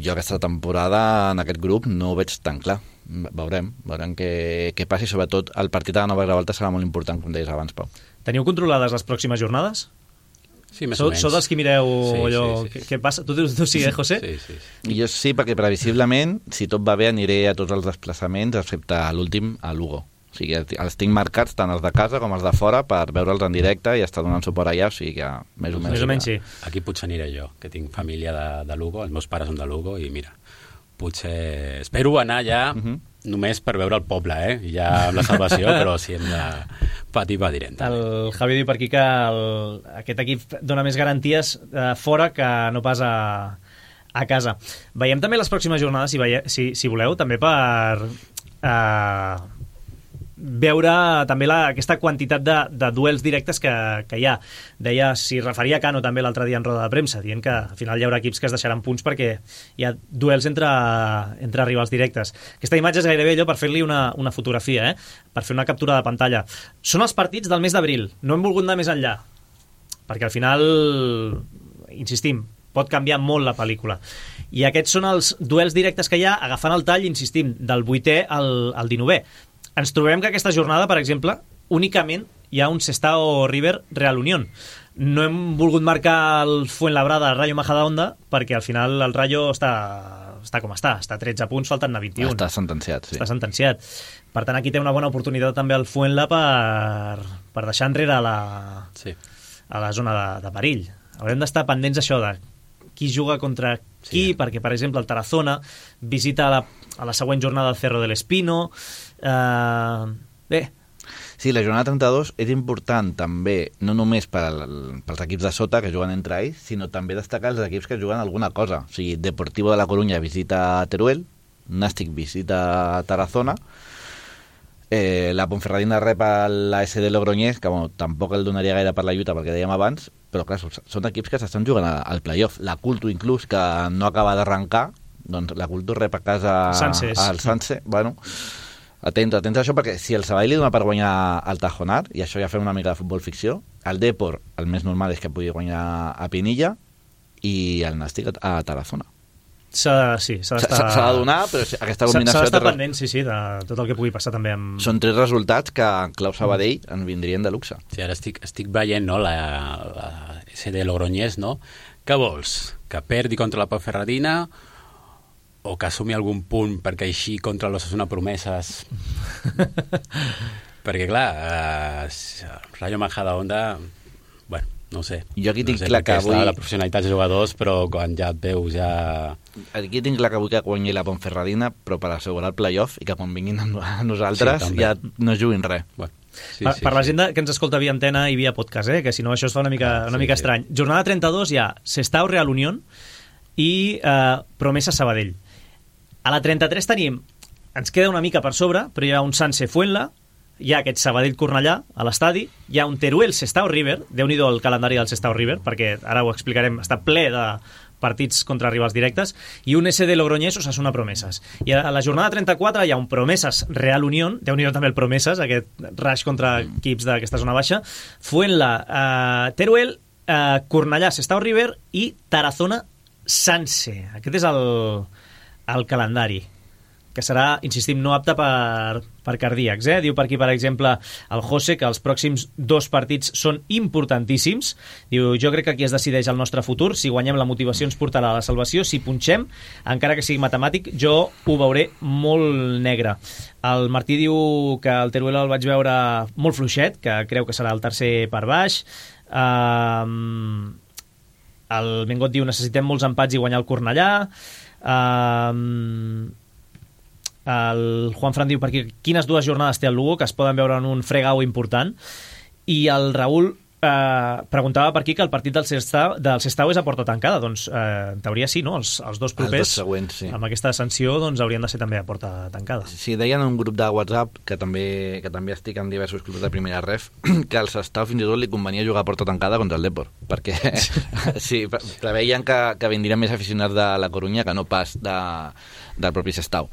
Jo aquesta temporada en aquest grup no ho veig tan clar. Veurem què passi, sobretot el partit de la nova revolta serà molt important, com deies abans, Pau. Teniu controlades les pròximes jornades? Sí, més o menys. Sou dels que mireu allò... Sí. Què passa? Tu sí, José? Sí. Jo sí, perquè previsiblement, si tot va bé, aniré a tots els desplaçaments, excepte l'últim, a Lugo. O sigui, els tinc marcats tant els de casa com els de fora per veure'ls en directe i estar donant suport allà, o sigui que més o menys sí. Aquí potser aniré jo, que tinc família de Lugo, els meus pares són de Lugo i mira, potser... Espero anar allà només per veure el poble, ja amb la salvació, però si hem de patir, patirem. El Javi diu per aquí que aquest equip dona més garanties fora que no pas a casa. Veiem també les pròximes jornades, si voleu, també per veure també aquesta quantitat de duels directes que hi ha. Deia, s'hi referia Cano també l'altre dia en roda de premsa, dient que al final hi haurà equips que es deixaran punts perquè hi ha duels entre rivals directes. Aquesta imatge és gairebé allò per fer-li una fotografia, per fer una captura de pantalla. Són els partits del mes d'abril, no hem volgut anar més enllà, perquè al final, insistim, pot canviar molt la pel·lícula. I aquests són els duels directes que hi ha, agafant el tall, insistim, del 8è al 19è. Ens trobem que aquesta jornada, per exemple, únicament hi ha un Sestao River Real Unión. No hem volgut marcar el Fuenlabrada al Rayo Majadahonda perquè al final el Rayo està com està a 13 punts, falten 21. Està sentenciat, sí. Està sentenciat. Per tant, aquí té una bona oportunitat també el Fuenla per deixar enrere a la zona de perill. Haurem d'estar pendents d'això, de qui juga contra qui, perquè, per exemple, el Tarazona visita a la següent jornada el Cerro del Espino. Bé. Sí, la jornada 32 és important també, no només pels equips de sota que juguen entre ells, sinó també destacar els equips que juguen alguna cosa. O sigui, Deportivo de la Coruña visita Teruel, Nàstic visita Tarazona, la Ponferradina rep la SD Logroñés, que tampoc el donaria gaire per la lluita perquè dèiem abans, però clar, són equips que s'estan jugant al playoff. La Culto inclús, que no acaba d'arrencar, doncs la Culto rep a casa al Sanse. Bueno, atents a això, perquè si el Sabadell li dona per guanyar el Tajonar, i això ja fem una mica de futbol ficció, el Depor, el més normal és que pugui guanyar a Pinilla, i el Nàstic a Tarazona. S'ha de donar, però aquesta combinació... S'ha d'estar pendent, sí, de tot el que pugui passar també amb... Són 3 resultats que en clau Sabadell en vindrien de luxe. Sí, ara estic veient, no, la SD Logroñés, no? Què vols? Que perdi contra la Ponferradina o que assumi algun punt perquè així contra l'Osasuna Promeses? Perquè, clar, Rayo Majadahonda, bueno, no sé. Jo aquí tinc clar que avui... La professionalitat de jugadors, però quan ja et veus ja... Aquí tinc clar que avui que guanyi la Ponferradina, però per assegurar el playoff i que quan vinguin a nosaltres ja no juguin res. Bueno. Per la gent que ens escolta via antena i via podcast, que si no això es fa una mica estrany. Jornada 32 hi ha Sestao Real Unión i Promesa Sabadell. A la 33 tenim, ens queda una mica per sobre, però hi ha un Sanse Fuenla, hi ha aquest Sabadell-Cornellà a l'estadi, hi ha un Teruel-Sestao River, déu-n'hi-do el calendari del Sestao River, perquè ara ho explicarem, està ple de partits contra rivals directes, i un SD Logroñés Osasuna Promeses. I a la jornada 34 hi ha un Promeses Real Unión, déu-n'hi-do també el Promeses, aquest rush contra equips d'aquesta zona baixa, Fuenla, Teruel, Cornellà, Sestao River i Tarazona Sanse. Aquest és el calendari, que serà, insistim, no apte per cardíacs. Diu per aquí, per exemple, el José, que els pròxims 2 partits són importantíssims. Diu, jo crec que aquí es decideix el nostre futur. Si guanyem, la motivació ens portarà a la salvació. Si punxem, encara que sigui matemàtic, jo ho veuré molt negre. El Martí diu que el Teruel el vaig veure molt fluixet, que creu que serà el tercer per baix. El Bengot diu, necessitem molts empats i guanyar el Cornellà. El Juan Fran diu per aquí quines 2 jornades té el Lugo que es poden veure en un fregau important, i el Raül preguntava per aquí que el partit del Sestao és a porta tancada. Doncs en teoria sí, no? Els 2 propers, els 2 següents, sí. Amb aquesta sanció, doncs haurien de ser també a porta tancada. Sí, deien en un grup de WhatsApp que també estic en diversos clubs de primera ref, que al Sestao fins i tot li convenia jugar a porta tancada contra el Depor, perquè sí, preveien que vindrien més aficionats de la Corunya que no pas del propi Sestao.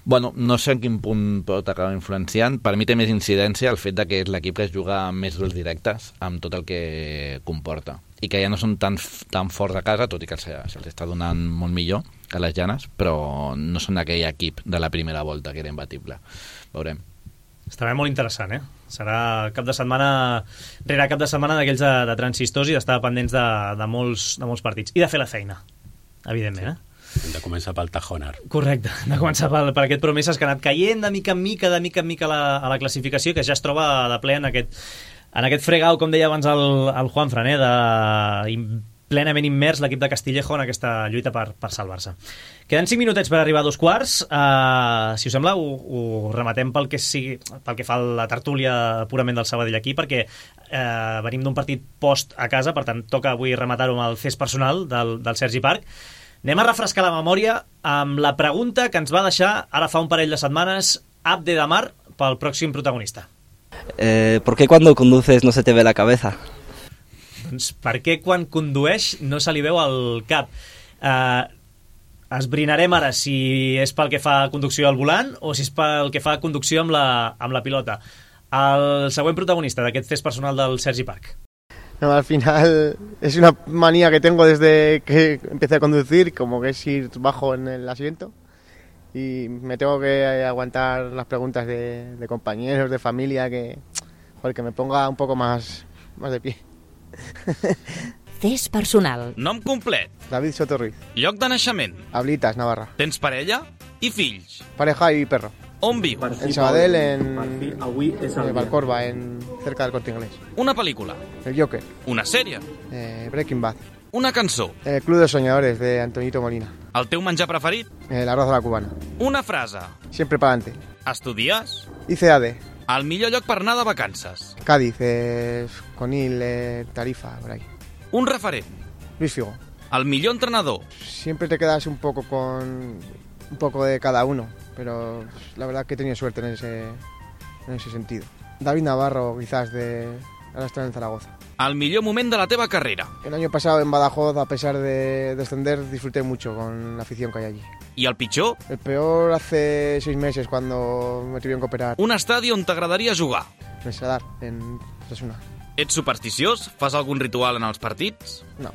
Bueno, no sé en quin punt pot acabar influenciant. Per mi té més incidència el fet de que és l'equip que es juga amb més duels directes, amb tot el que comporta, i que ja no són tan forts a casa, tot i que se'ls està donant molt millor que les Llanes, però no són aquell equip de la primera volta que era imbatible. Veurem. Estarà molt interessant, Serà cap de setmana rere cap de setmana d'aquells de transistors i d'estar pendents de molts partits. I de fer la feina, evidentment, Hem de començar pel Tajonar. Correcte, hem de començar per aquest Promeses que ha anat caient de mica en mica a la classificació, que ja es troba de ple en aquest fregau, com deia abans el Juanfran, plenament immers l'equip de Castillejo en aquesta lluita per salvar-se. Queden 5 minutets per arribar a 2:15. Si us sembla, ho rematem pel que fa a la tertúlia purament del Sabadell aquí, perquè venim d'un partit post a casa, per tant, toca avui rematar-ho amb el cés personal del Sergi Parc. Anem a refrescar la memòria amb la pregunta que ens va deixar ara fa un parell de setmanes Abde Damar pel pròxim protagonista. ¿Por qué cuando conduces no se te ve la cabeza? Doncs per què quan condueix no se li veu el cap? Esbrinarem ara si és pel que fa conducció al volant o si és pel que fa conducció amb la pilota. El següent protagonista d'aquest test personal del Sergi Parc. No, al final es una manía que tengo desde que empecé a conducir, como que es ir bajo en el asiento y me tengo que aguantar las preguntas de compañeros, de familia, que me ponga un poco más de pie. Test personal. Nom complet. David Soto Ruiz. Lloc de naixement. Ablitas, Navarra. Tens parella i fills. Pareja y perro. On viu? En Sabadell, en Valcorba, cerca del Corte Inglés. Una pel·lícula. El Joker. Una sèrie. Breaking Bad. Una cançó. El Club de Soñadores, de Antonito Molina. El teu menjar preferit? El arroz a la cubana. Una frase. Siempre para adelante. Estudies? Hice AD. El millor lloc per anar de vacances? Cádiz, Conil, Tarifa, por ahí. Un referent? Luis Figo. El millor entrenador? Siempre te quedas un poco de cada uno, pero la verdad que he tenido suerte en ese sentido. David Navarro, quizás, ahora está en Zaragoza. El millor moment de la teva carrera? El año pasado en Badajoz, a pesar de descender, disfruté mucho con la afición que hay allí. I el pitjor? El peor hace 6 meses, cuando me tuvieron que operar. Un estadi on t'agradaria jugar? En Sadar, en Osasuna. Ets supersticiós? Fas algun ritual en els partits? No.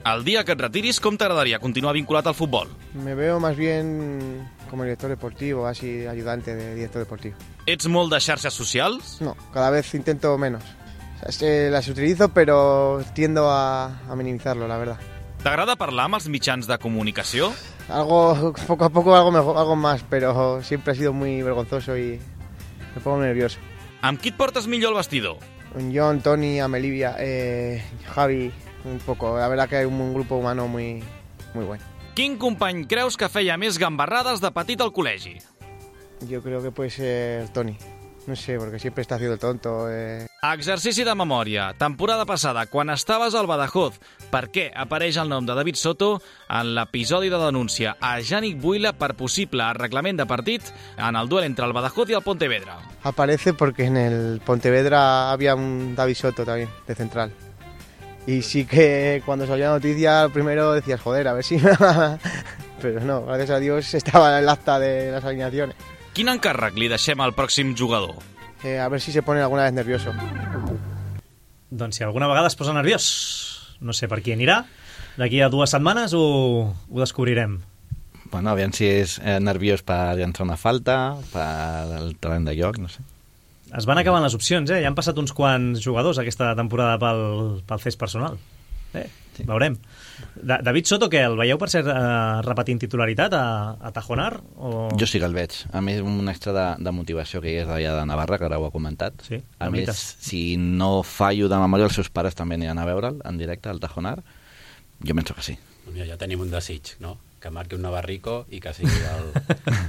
El dia que et retiris, com t'agradaria continuar vinculat al futbol? Me veo más bien como director deportivo, así ayudante de director deportivo. Ets molt de xarxes socials? No, cada vez intento menos. O sea, las utilizo, pero tiendo a minimizarlo, la verdad. T'agrada parlar amb els mitjans de comunicació? Poco a poco algo más, pero siempre ha sido muy vergonzoso y me pongo nervioso. Amb qui et portes millor al vestidor? John, Tony, Amelivia, Javi, un poco. La verdad que hay un grupo humano muy bueno. Quin company creus que feia més gambarrades de petit al col·legi? Yo creo que puede ser Tony. No sé, porque siempre está haciendo el tonto. Exercici de memòria. Temporada passada, quan estaves al Badajoz, per què apareix el nom de David Soto en l'episodi de denúncia a Yannick Buila per possible arreglament de partit en el duel entre el Badajoz y el Pontevedra? Aparece porque en el Pontevedra había un David Soto también, de central. Y sí que cuando salió la noticia, primero decías, joder, a ver si... Pero no, gracias a Dios estaba en el acta de las alineaciones. Quin encàrrec li deixem al pròxim jugador? A ver si se pone alguna vez nervioso. Doncs si alguna vegada es posa nerviós, no sé per qui anirà, d'aquí a 2 setmanes ho descobrirem. Bueno, aviam si és nerviós per llançar una falta, per el terreny de joc, no sé. Es van acabant les opcions, ja han passat uns quants jugadors aquesta temporada pel cés personal. Sí. Veurem. David Soto, què? El veieu per ser repetint titularitat a Tajonar? O... Jo sí que el veig. A més, un extra de motivació que hi és d'allà de Navarra, que ara ho ha comentat. Sí, a més, si no fallo de memòria, els seus pares també aniran a veure'l en directe al Tajonar. Jo penso que sí. Mira, ja tenim un desig, no? Que marqui un navarrico i que sigui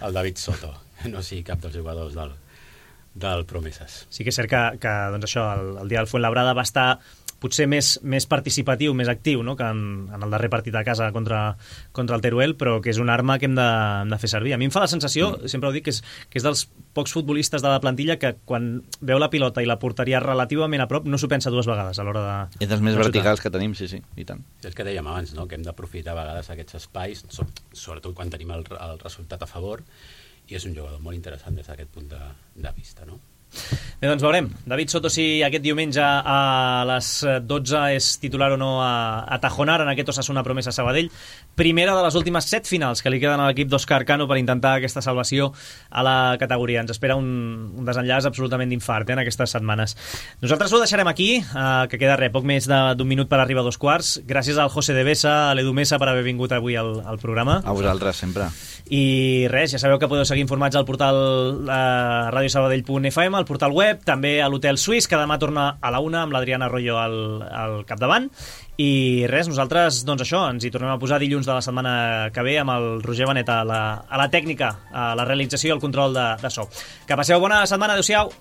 el David Soto, no sigui cap dels jugadors del Promeses. Sí que és cert que doncs això, el dia del Fuenlabrada va estar potser més participatiu, més actiu, no? Que en el darrer partit a casa contra el Teruel, però que és una arma que hem de fer servir. A mi em fa la sensació, sempre ho dic, que és dels pocs futbolistes de la plantilla que quan veu la pilota i la porteria relativament a prop no s'ho pensa 2 vegades a l'hora de... És dels més verticals que tenim, sí, i tant. És que dèiem abans, no? Que hem d'aprofitar a vegades aquests espais, sobretot quan tenim el resultat a favor, i és un jugador molt interessant des d'aquest punt de vista, no? Bé, doncs veurem. David Soto, si aquest diumenge a les 12 és titular o no a Tajonar en aquest Osasuna Promesa Sabadell. Primera de les últimes 7 finals que li queden a l'equip d'Òscar Cano per intentar aquesta salvació a la categoria. Ens espera un desenllaç absolutament d'infart en aquestes setmanes. Nosaltres ho deixarem aquí, que queda poc més d'un minut per arribar a 2:15. Gràcies al José de Besa, a l'Edu Mesa per haver vingut avui al programa. A vosaltres, sempre. I res, ja sabeu que podeu seguir informats al portal radiosabadell.fm, al portal web, també a l'Hotel Suís, que demà torna a la 1 amb l'Adriana Arroyo al capdavant. I res, nosaltres, doncs això, ens hi tornem a posar dilluns de la setmana que ve amb el Roger Benet a la tècnica, a la realització i el control de so. Que passeu bona setmana, adeu-siau.